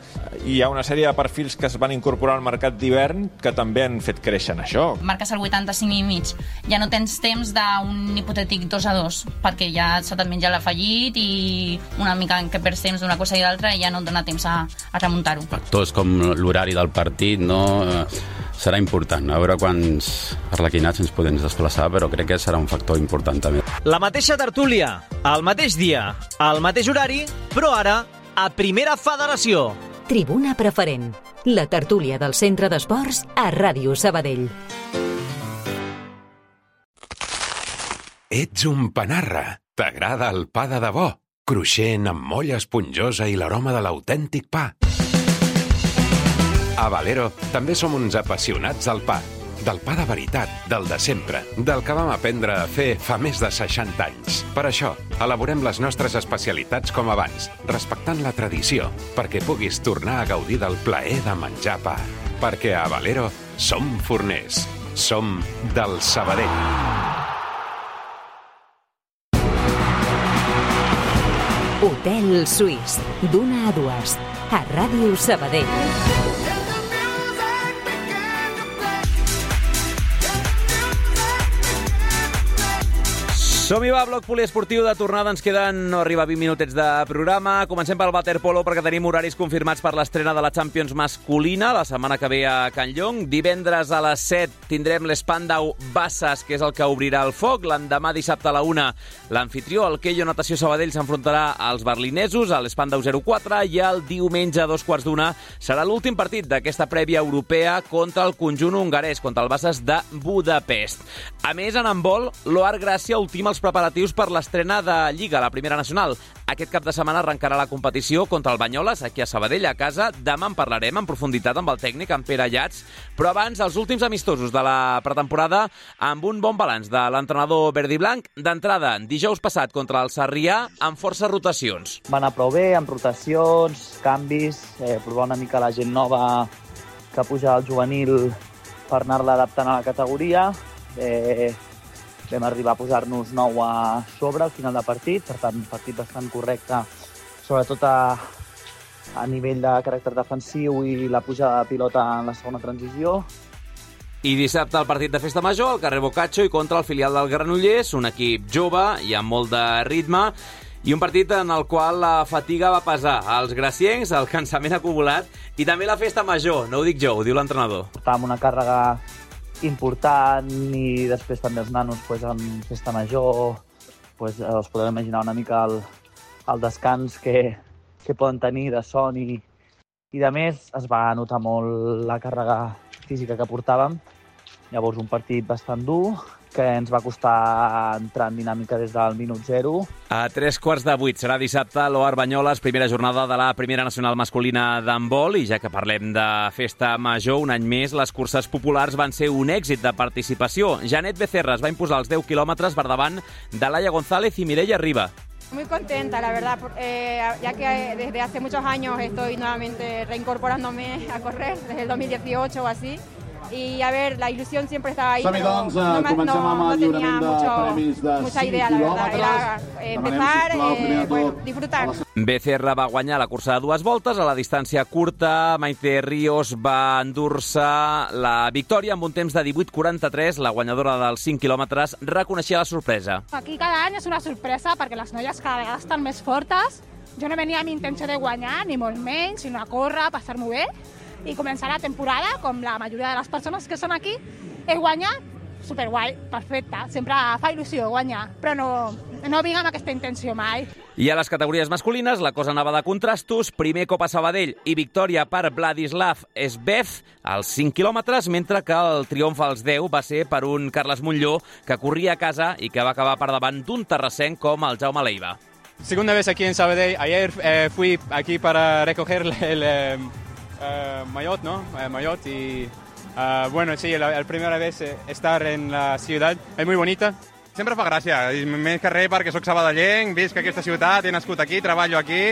hi ha una sèrie de perfils que es van incorporar al mercat d'hivern que també han fet créixer en això. Marques el vuitanta-cinc i mig, ja no tens temps d'un hipotètic dos a dos perquè ja se te't menja l'afegit i una mica en què perds temps d'una cosa i l'altra i ja no et dona temps a, a remuntar-ho. Factors com l'horari del partit, no? Serà important, a veure quants arlequinats ens podem desplaçar, però crec que serà un factor important també. La mateixa tertúlia, el mateix dia, el mateix horari, però ara a Primera Federació. Tribuna Preferent, la tertúlia del Centre d'Esports a Ràdio Sabadell. Ets un panarra. T'agrada el pa de debò? Cruixent, amb molla esponjosa i l'aroma de l'autèntic pa. A Valero també som uns apassionats del pa. Del pa de veritat, del de sempre, del que vam aprendre a fer fa més de seixanta anys. Per això, elaborem les nostres especialitats com abans, respectant la tradició, perquè puguis tornar a gaudir del plaer de menjar pa. Perquè a Valero som forners. Som del Sabadell. Hotel Suís, d'una a dues, a Ràdio Sabadell. Som-hi, va, bloc poliesportiu de tornada. Ens queden, no arriba a vint minutets de programa. Comencem pel waterpolo perquè tenim horaris confirmats per l'estrena de la Champions masculina la setmana que ve a Can Llong. Divendres a les set tindrem l'Spandau Bassas, que és el que obrirà el foc. L'endemà, dissabte a la una, l'anfitrió, el Keio Natació Sabadell, s'enfrontarà als berlinesos, a l'Spandau zero quatre, i el diumenge a dos quarts d'una serà l'últim partit d'aquesta prèvia europea contra el conjunt hongarès, contra el Bassas de Budapest. A més, en handbol, l'Oar Gràcia ultima els preparatius per l'estrena de Lliga, la primera nacional. Aquest cap de setmana arrencarà la competició contra el Banyoles, aquí a Sabadell, a casa. Demà en parlarem en profunditat amb el tècnic, en Pere Llats, però abans, els últims amistosos de la pretemporada amb un bon balanç de l'entrenador verd i blanc. D'entrada, dijous passat contra el Sarrià, amb forces rotacions. Va anar prou bé, amb rotacions, canvis, eh, provar una mica la gent nova que puja al juvenil per anar-la adaptant a la categoria. Eh, vam arribar a posar-nos nou a sobre al final de partit, per tant, un partit bastant correcte, sobretot a, a nivell de caràcter defensiu i la pujada de pilota en la segona transició. I dissabte el partit de Festa Major, al carrer Boccaccio, i contra el filial del Granollers, un equip jove i amb molt de ritme, i un partit en el qual la fatiga va pesar als graciencs, el cansament acumulat, i també la Festa Major, no ho dic jo, ho diu l'entrenador. Estàvem una càrrega important i després també els nanos pues, en Festa Major pues, us podeu imaginar una mica el, el descans que, que poden tenir de son i, i de més. Es va notar molt la càrrega física que portàvem. Llavors un partit bastant dur que ens va costar entrar en dinàmica des del minut zero. A tres quarts de vuit serà dissabte a l'O A R Banyoles, primera jornada de la primera nacional masculina d'handbol, i ja que parlem de Festa Major, un any més, les curses populars van ser un èxit de participació. Janet Becerra es va imposar els deu quilòmetres per davant de Laia González i Mireia Riba. Muy contenta, la verdad, eh, ya que desde hace muchos años estoy nuevamente reincorporándome a correr, desde el dos mil dieciocho o así. Y a ver, la ilusión siempre estaba ahí, pero no, me, no, no tenía mucho, mucha idea, la verdad. Era eh, empezar, eh, bueno, disfrutar. Becerra va guanyar la cursa de dues voltes. A la distància curta, Maite Ríos va endur-se la victòria amb un temps de divuit quaranta-tres. La guanyadora dels cinc quilòmetres reconeixia la sorpresa. Aquí cada any és una sorpresa perquè les noies cada vegada estan més fortes. Jo no venia amb intenció de guanyar, ni molt menys, sinó a córrer, a passar-m'ho bé i començar la temporada, com la majoria de les persones que són aquí, he guanyat, superguai, perfecte, sempre fa il·lusió guanyar, però no, no vinc amb aquesta intenció mai. I a les categories masculines la cosa anava de contrastos, primer cop a Sabadell i victòria per Vladislav Esbev als cinc quilòmetres, mentre que el triomf als deu va ser per un Carles Montlló que corria a casa i que va acabar per davant d'un terrassenc com el Jaume Leiva. Segunda vez aquí en Sabadell, ayer eh, fui aquí para recoger el... el eh... Uh, Mayotte, ¿no? Uh, Mayotte y uh, bueno, sí, la, la primera vez estar en la ciutat és muy bonita. Sempre fa gràcia, més que res perquè soc sabadellenc, visc aquesta ciutat, he nascut aquí, treballo aquí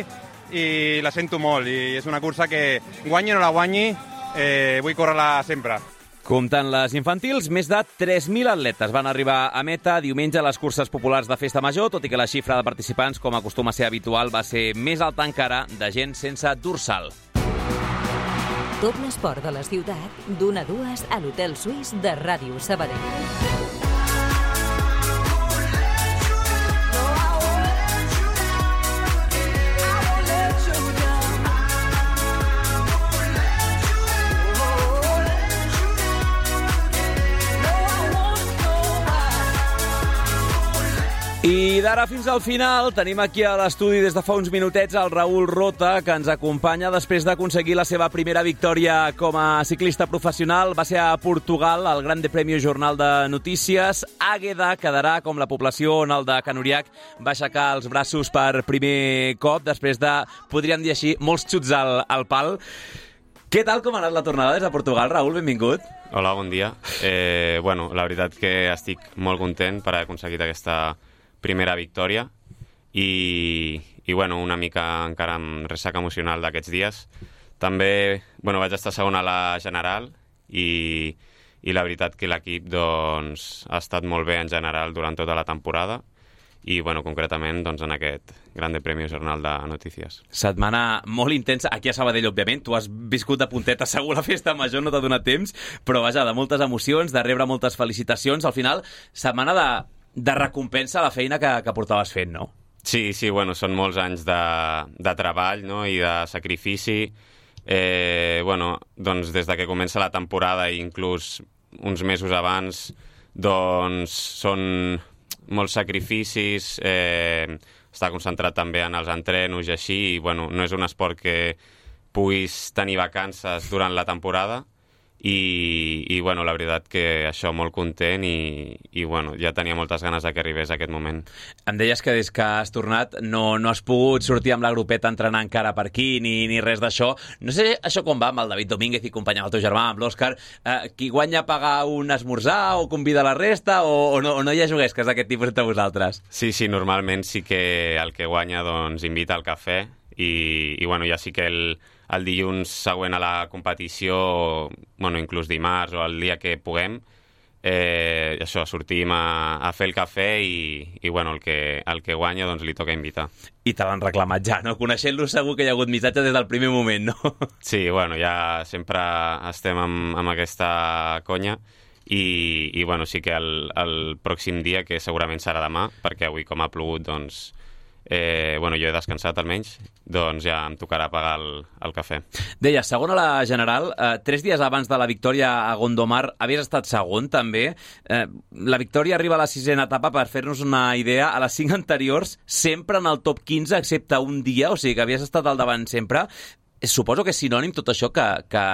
i la sento molt, i és una cursa que guanyi o no la guanyi, eh, vull córrer-la sempre. Comptant les infantils, més de tres mil atletes van arribar a meta diumenge a les curses populars de Festa Major, tot i que la xifra de participants, com acostuma a ser habitual, va ser més alta encara de gent sense dorsal. Tot l'esport de la ciutat, d'una a dues a l'Hotel Suís de Ràdio Sabadell. I d'ara fins al final tenim aquí a l'estudi des de fa uns minutets el Raül Rota, que ens acompanya després d'aconseguir la seva primera victòria com a ciclista professional. Va ser a Portugal, al Grande Premio Jornal de Notícies. Àgueda quedarà com la població on el de Can Uriach va aixecar els braços per primer cop, després de, podríem dir així, molts xuts al, al pal. Què tal, com ha anat la tornada des de Portugal, Raül? Benvingut. Hola, bon dia. Eh, bueno, la veritat que estic molt content per haver aconseguit aquesta primera victòria i, i bueno, una mica encara amb ressaca emocional d'aquests dies. També bueno, vaig estar segon a la general i, i la veritat que l'equip doncs, ha estat molt bé en general durant tota la temporada i bueno, concretament doncs, en aquest Grande Premio Jornal de Notícies. Setmana molt intensa, aquí a Sabadell, òbviament. Tu has viscut de punteta, segur la Festa Major no t'ha donat temps, però vaja, de moltes emocions, de rebre moltes felicitacions. Al final, setmana de de recompensa a la feina que, que portaves fent, no? Sí, sí, bueno, són molts anys de, de treball, no?, i de sacrifici. Eh, bueno, doncs des de que comença la temporada i inclús uns mesos abans, doncs són molts sacrificis, eh, estar concentrat també en els entrenos i així, i bueno, no és un esport que puguis tenir vacances durant la temporada, i, i bueno, la veritat que això molt content i, i bueno, ja tenia moltes ganes de que arribés aquest moment. Em deies que des que has tornat no, no has pogut sortir amb la grupeta a entrenar encara per aquí ni, ni res d'això. No sé això com va amb el David Domínguez i company amb el teu germà, amb l'Òscar. Eh, qui guanya pagar un esmorzar o convida la resta o, o, no, o no hi ha juguesques d'aquest tipus entre vosaltres? Sí, sí, normalment sí que el que guanya doncs invita al cafè i, i bueno, ja sí que el, el dilluns següent a la competició, bueno, inclús dimarts o el dia que puguem, eh, això, sortim a, a fer el cafè i, i bueno, el que, el que guanya doncs li toca invitar. I te l'han reclamat ja, no? Coneixent-lo segur que hi ha hagut missatge des del primer moment, no? Sí, bueno, ja sempre estem amb, amb aquesta conya i, i bueno, sí que el, el pròxim dia, que segurament serà demà, perquè avui com ha plogut, doncs Eh, bueno, jo he descansat almenys, doncs ja em tocarà pagar el, el cafè. Deia, segon a la general, eh, tres dies abans de la victòria a Gondomar havies estat segon també. Eh, la victòria arriba a la sisena etapa, per fer-nos una idea, a les cinc anteriors sempre en el top quinze, excepte un dia, o sigui que havies estat al davant sempre. Suposo que és sinònim tot això que, que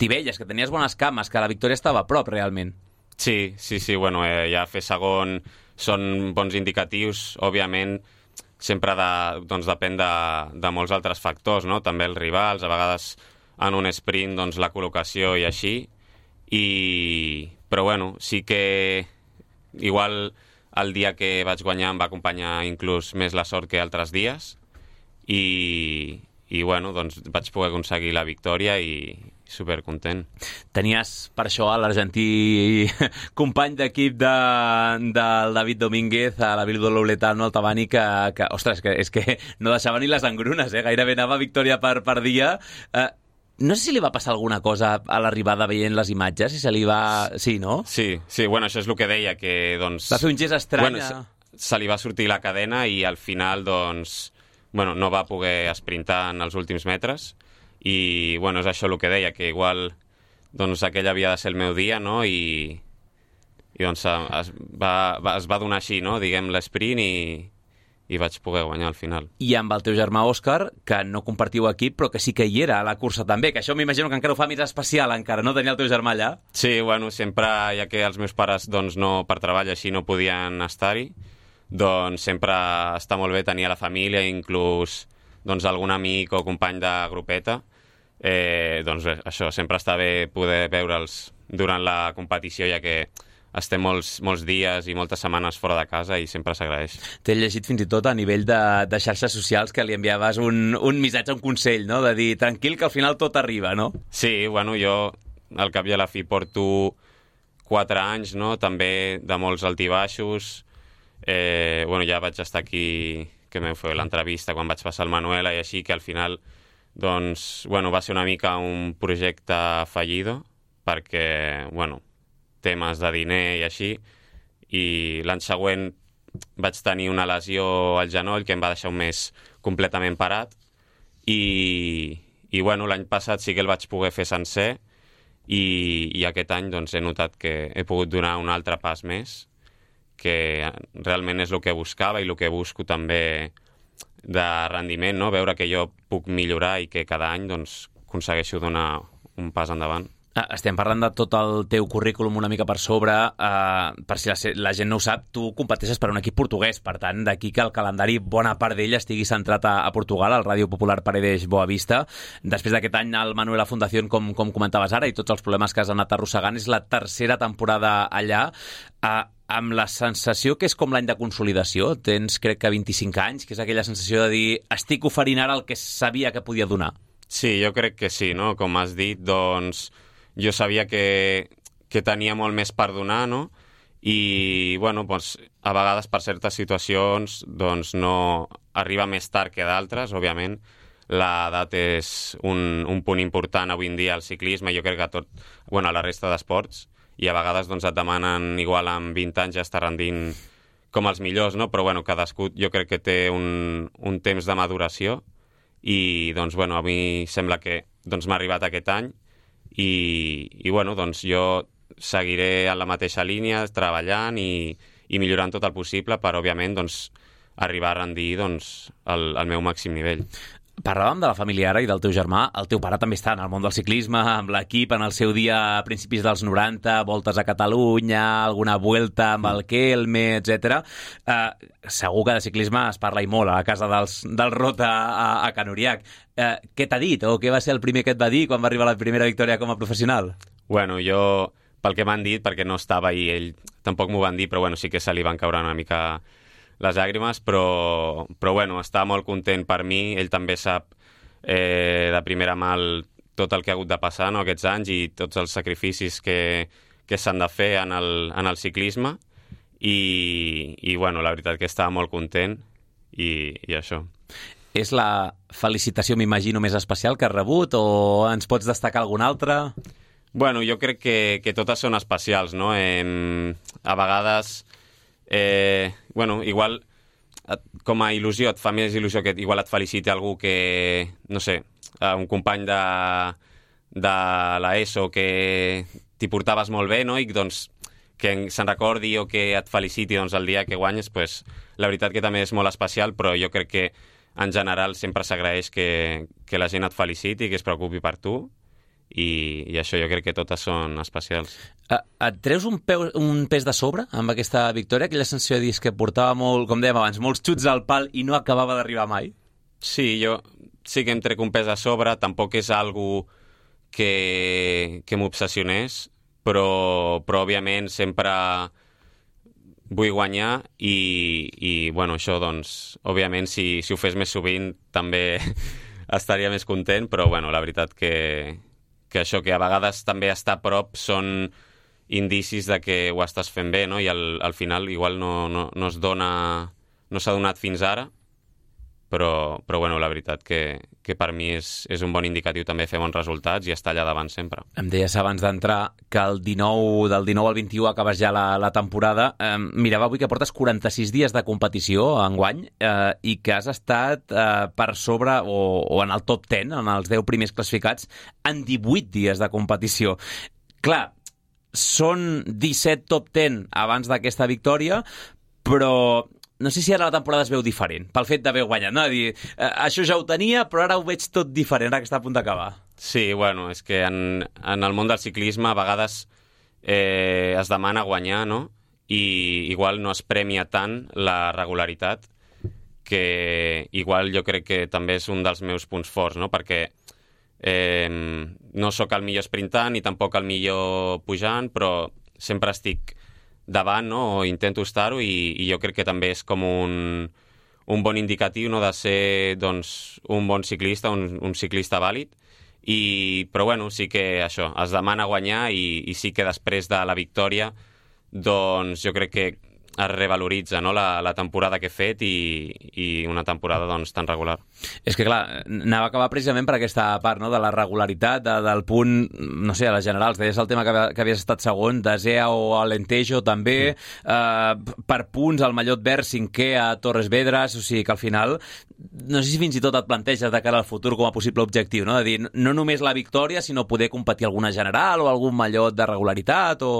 t'hi veies, que tenies bones cames, que la victòria estava a prop realment. Sí, sí, sí, bueno, eh, ja fer segon són bons indicatius, òbviament. Sempre de, doncs depèn de, de molts altres factors, no? També els rivals, a vegades en un sprint doncs la col·locació i així, i... però bueno, sí que igual el dia que vaig guanyar em va acompanyar inclús més la sort que altres dies, i, i bueno, doncs vaig poder aconseguir la victòria i supercontent. Tenies per això a l'argentí company d'equip de, del David Domínguez, a la Bildu Louletano, al Tabani, que, que ostres, que, és que no deixava ni les engrunes, eh? Gairebé anava victòria per, per dia. Eh, no sé si li va passar alguna cosa a l'arribada veient les imatges, si se li va... Sí, no? Sí, sí, bueno, això és el que deia, que doncs... Va fer un gest estrany. Bueno, se, se li va sortir la cadena i al final, doncs, bueno, no va poder esprintar en els últims metres. I, bueno, és això el que deia, que igual doncs aquell havia de ser el meu dia, no? I, i doncs es va, va, es va donar així, no? Diguem, l'esprint i, i vaig poder guanyar al final. I amb el teu germà Òscar, que no compartiu equip, però que sí que hi era a la cursa també, que això m'imagino que encara ho fa més especial, encara, no? Tenir el teu germà allà. Sí, bueno, sempre, ja que els meus pares, doncs, no, per treball així no podien estar-hi, doncs sempre està molt bé tenir a la família, inclús doncs, algun amic o company de grupeta. Eh, doncs bé, això, sempre està bé poder veure'ls durant la competició, ja que estem molts, molts dies i moltes setmanes fora de casa i sempre s'agraeix. T'he llegit fins i tot a nivell de, de xarxes socials que li enviaves un, un missatge, un consell, no? De dir, tranquil, que al final tot arriba, no? Sí, bueno, jo al cap i a la fi porto quatre anys, no? També de molts altibaixos. Eh, bueno, ja vaig estar aquí, que m'heu fet l'entrevista quan vaig passar el Manuela i així, que al final doncs, bueno, va ser una mica un projecte fallido, perquè, bueno, temes de diner i així, i l'any següent vaig tenir una lesió al genoll que em va deixar un mes completament parat, i, i bueno, l'any passat sí que el vaig poder fer sencer, i, i aquest any doncs, he notat que he pogut donar un altre pas més, que realment és el que buscava i el que busco també de rendiment, no? Veure que jo puc millorar i que cada any doncs, aconsegueixo donar un pas endavant. Estem parlant de tot el teu currículum una mica per sobre. Eh, per si la, la gent no ho sap, tu competeixes per un equip portuguès, per tant, d'aquí que el calendari, bona part d'ell estigui centrat a, a Portugal, al Ràdio Popular Paredes Boavista. Després d'aquest any, el Manuela Fundación, com, com comentaves ara, i tots els problemes que has anat arrossegant, és la tercera temporada allà. Eh, amb la sensació que és com l'any de consolidació, tens crec que vint-i-cinc anys, que és aquella sensació de dir estic oferint ara el que sabia que podia donar. Sí, jo crec que sí, no? Com has dit, doncs jo sabia que, que tenia molt més per donar, no? I, bueno, doncs, a vegades per certes situacions doncs no arriba més tard que d'altres, òbviament. L'edat és un, un punt important avui en dia al ciclisme, jo crec que a tot, bueno, a la resta d'esports, i a vegades doncs, et demanen igual amb vint anys ja estar rendint com els millors, no? Però bueno, cadascú jo crec que té un, un temps de maduració i doncs, bueno, a mi sembla que doncs, m'ha arribat aquest any i, i bueno, doncs, jo seguiré en la mateixa línia treballant i, i millorant tot el possible per, òbviament, doncs, arribar a rendir doncs, el, el meu màxim nivell. Parlàvem de la família ara i del teu germà. El teu pare també està en el món del ciclisme, amb l'equip en el seu dia a principis dels noranta, voltes a Catalunya, alguna vuelta amb el Kelme, etcètera. Uh, segur que de ciclisme es parla i molt a la casa dels, del Rota a, a Can Uriach. Uh, què t'ha dit o què va ser el primer que et va dir quan va arribar la primera victòria com a professional? Bueno, jo, pel que m'han dit, perquè no estava i ell tampoc m'ho van dir, però bueno, sí que se li van caure una mica les llàgrimes, però, però bueno, està molt content per mi. Ell també sap eh, de primera mà el, tot el que ha hagut de passar, no, aquests anys i tots els sacrificis que, que s'han de fer en el, en el ciclisme i, i bueno, la veritat que està molt content i, i això. És la felicitació, m'imagino, més especial que has rebut o ens pots destacar alguna altra? Bueno, jo crec que, que totes són especials, no? Eh, a vegades... Eh, bueno, igual com a il·lusió et fa més il·lusió que igual et feliciti algú que, no sé, un company de, de l'ESO que t'hi portaves molt bé, no? I doncs que se'n recordi o que et feliciti doncs, el dia que guanyes, pues, la veritat que també és molt especial, però jo crec que en general sempre s'agraeix que, que la gent et feliciti, que es preocupi per tu. I, i això jo crec que totes són especials. Uh, et treus un, peu, un pes de sobre amb aquesta victòria? Aquella sensació de dir que portava molt, com dèiem abans, molts xuts al pal i no acabava d'arribar mai? Sí, jo sí que em trec un pes de sobre, tampoc és algo que, que m'obsessionés, però, però òbviament sempre vull guanyar i, i bueno, això doncs, òbviament si, si ho fes més sovint també estaria més content, però bueno, la veritat que que això, que a vegades també estar a prop són indicis de que ho estàs fent bé, no? I al, al final igual no, no, no es dona, no s'ha donat fins ara, però, però bueno, la veritat que, que per mi és, és un bon indicatiu també fer bons resultats i estar allà davant sempre. Em deies abans d'entrar que el dinou, del dinou al vint-i-u acabes ja la, la temporada. Eh, mirava avui que portes quaranta-sis dies de competició enguany eh, i que has estat eh, per sobre o, o en el top deu, en els deu primers classificats, en divuit dies de competició. Clar, són disset top deu abans d'aquesta victòria, però no sé si ara la temporada es veu diferent, pel fet d'haver guanyat, no? Dir, eh, això ja ho tenia, però ara ho veig tot diferent, ara que està a punt d'acabar. Sí, bueno, és que en, en el món del ciclisme a vegades eh, es demana guanyar, no? I igual no es premia tant la regularitat, que igual jo crec que també és un dels meus punts forts, no? Perquè eh, no sóc el millor sprintant ni tampoc el millor pujant, però sempre estic davant, no? O intento estar-ho i, i jo crec que també és com un, un bon indicatiu, no? De ser doncs, un bon ciclista, un, un ciclista vàlid. I, però bueno, sí que això, es demana guanyar i, i sí que després de la victòria doncs jo crec que es revaloritza, no? la, la temporada que he fet i, i una temporada doncs, tan regular. És que clar, anava a acabar precisament per aquesta part, no? De la regularitat, de, del punt, no sé, a les generals, deies el tema que, que havies estat segon, Desea o Alentejo també, mm. eh, per punts al Mallot Verd cinquè a Torres Vedras, o sigui que al final no sé si fins i tot et planteges de cara al futur com a possible objectiu, no? De dir, no només la victòria, sinó poder competir alguna general o algun Mallot de regularitat o...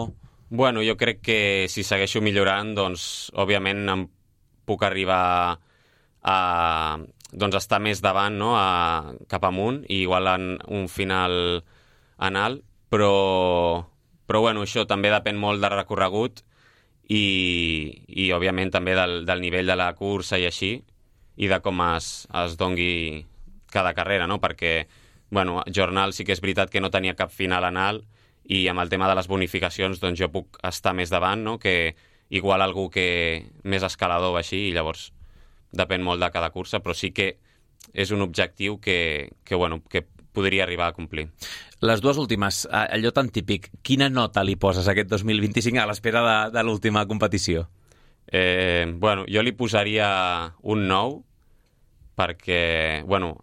Bueno, jo crec que si segueixo millorant, doncs, òbviament em puc arribar a doncs, estar més davant, no? a, cap amunt, i igual en un final en alt, però, però bueno, això també depèn molt del recorregut i, i òbviament també del, del nivell de la cursa i així, i de com es, es dongui cada carrera, no? Perquè, bueno, Jornal sí que és veritat que no tenia cap final en alt, i amb el tema de les bonificacions doncs jo puc estar més davant, no? Que igual algú que més escalador o així, i llavors depèn molt de cada cursa, però sí que és un objectiu que, que, bueno, que podria arribar a complir. Les dues últimes, allò tan típic, quina nota li poses a aquest dos mil vint-i-cinc a l'espera de, de l'última competició? Eh, bueno, jo li posaria un nou, perquè, bueno,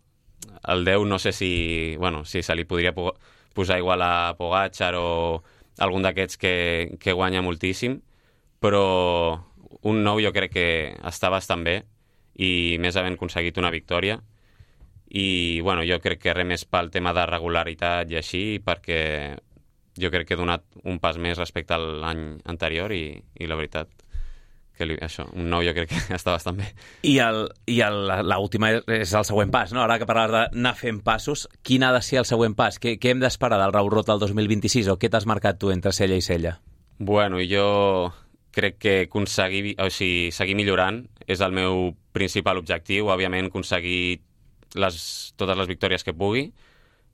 el deu no sé si, bueno, si se li podria posar igual a Pogačar o algun d'aquests que, que guanya moltíssim, però un nou jo crec que està bastant bé i més havent aconseguit una victòria i bueno, jo crec que res més pel tema de regularitat i així, perquè jo crec que he donat un pas més respecte a l'any anterior i, i la veritat que li, això, un nou jo crec que està bastant bé. I, el, i el, l'última és el següent pas, no? Ara que parlaves d'anar fent passos, quin ha de ser el següent pas? Què, què hem d'esperar del Raül Rota el dos mil vint-i-sis o què t'has marcat tu entre cella i cella? Bueno, jo crec que aconseguir, o sigui, seguir millorant és el meu principal objectiu, òbviament aconseguir les, totes les victòries que pugui,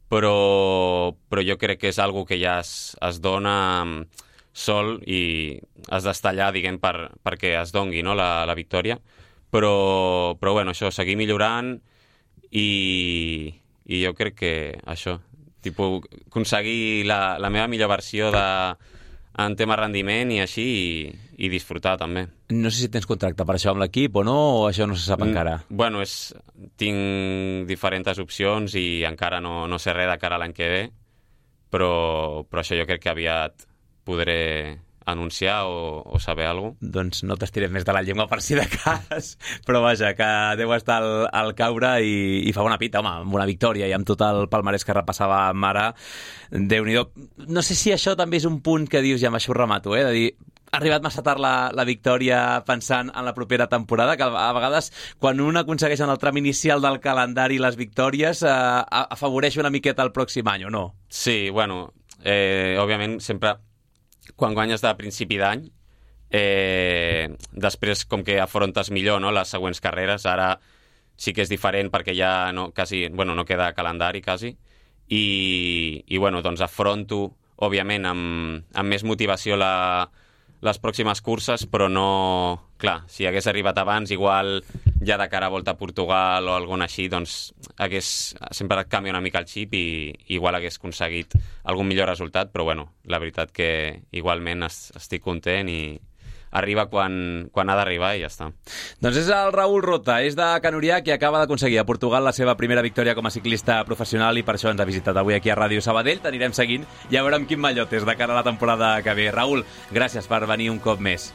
però, però jo crec que és algo que ja es, es dona sol i has d'estar allà, diguem, per, perquè es dongui, no, la, la victòria. Però, però bueno, això, seguir millorant i, i jo crec que això, tipus, aconseguir la, la meva millor versió de, en tema rendiment i així, i, i disfrutar també. No sé si tens contracte per això amb l'equip o no, o això no se sap encara? Mm, bueno, és, tinc diferents opcions i encara no, no sé res de cara a l'any que ve, però, però això jo crec que aviat podré anunciar o, o saber alguna cosa. Doncs no t'estirem més de la llengua per si de cas, però vaja, que deu estar al, al caure i, i fa bona pita, home, amb una victòria i amb tot el palmarès que repassava ara, Déu-n'hi-do. No sé si això també és un punt que dius, ja amb això ho remato, eh? De dir, ha arribat massa tard la, la victòria pensant en la propera temporada, que a vegades quan un aconsegueix en el tram inicial del calendari les victòries eh, afavoreix una miqueta el pròxim any, o no? Sí, bueno, eh, òbviament sempre quan guanyes de principi d'any, eh, després com que afrontes millor, no, les següents carreres. Ara sí que és diferent perquè ja no, quasi, bueno, no queda calendari quasi, i, i bueno, doncs afronto, òbviament, amb, amb més motivació la, les pròximes curses, però no... Clar, si hagués arribat abans, igual ja de cara a Volta a Portugal o alguna així, doncs hagués, sempre et canvia una mica el xip i igual hagués aconseguit algun millor resultat, però bueno, la veritat que igualment estic content i arriba quan, quan ha d'arribar i ja està. Doncs és el Raül Rota, és de Can Uriac i acaba d'aconseguir a Portugal la seva primera victòria com a ciclista professional i per això ens ha visitat avui aquí a Ràdio Sabadell. T'anirem seguint i a veure amb quin mallot és de cara a la temporada que ve. Raül, gràcies per venir un cop més.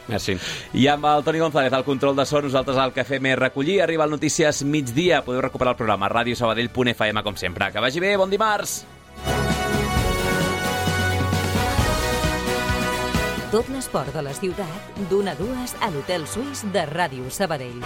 Merci. I amb el Toni González al control de so, nosaltres el que fem és recollir. Arriba el Notícies migdia. Podeu recuperar el programa a radiosabadell punt f m com sempre. Que vagi bé, bon dimarts! Tot l'esport de la ciutat, d'una a dues a l'Hotel Suís de Ràdio Sabadell.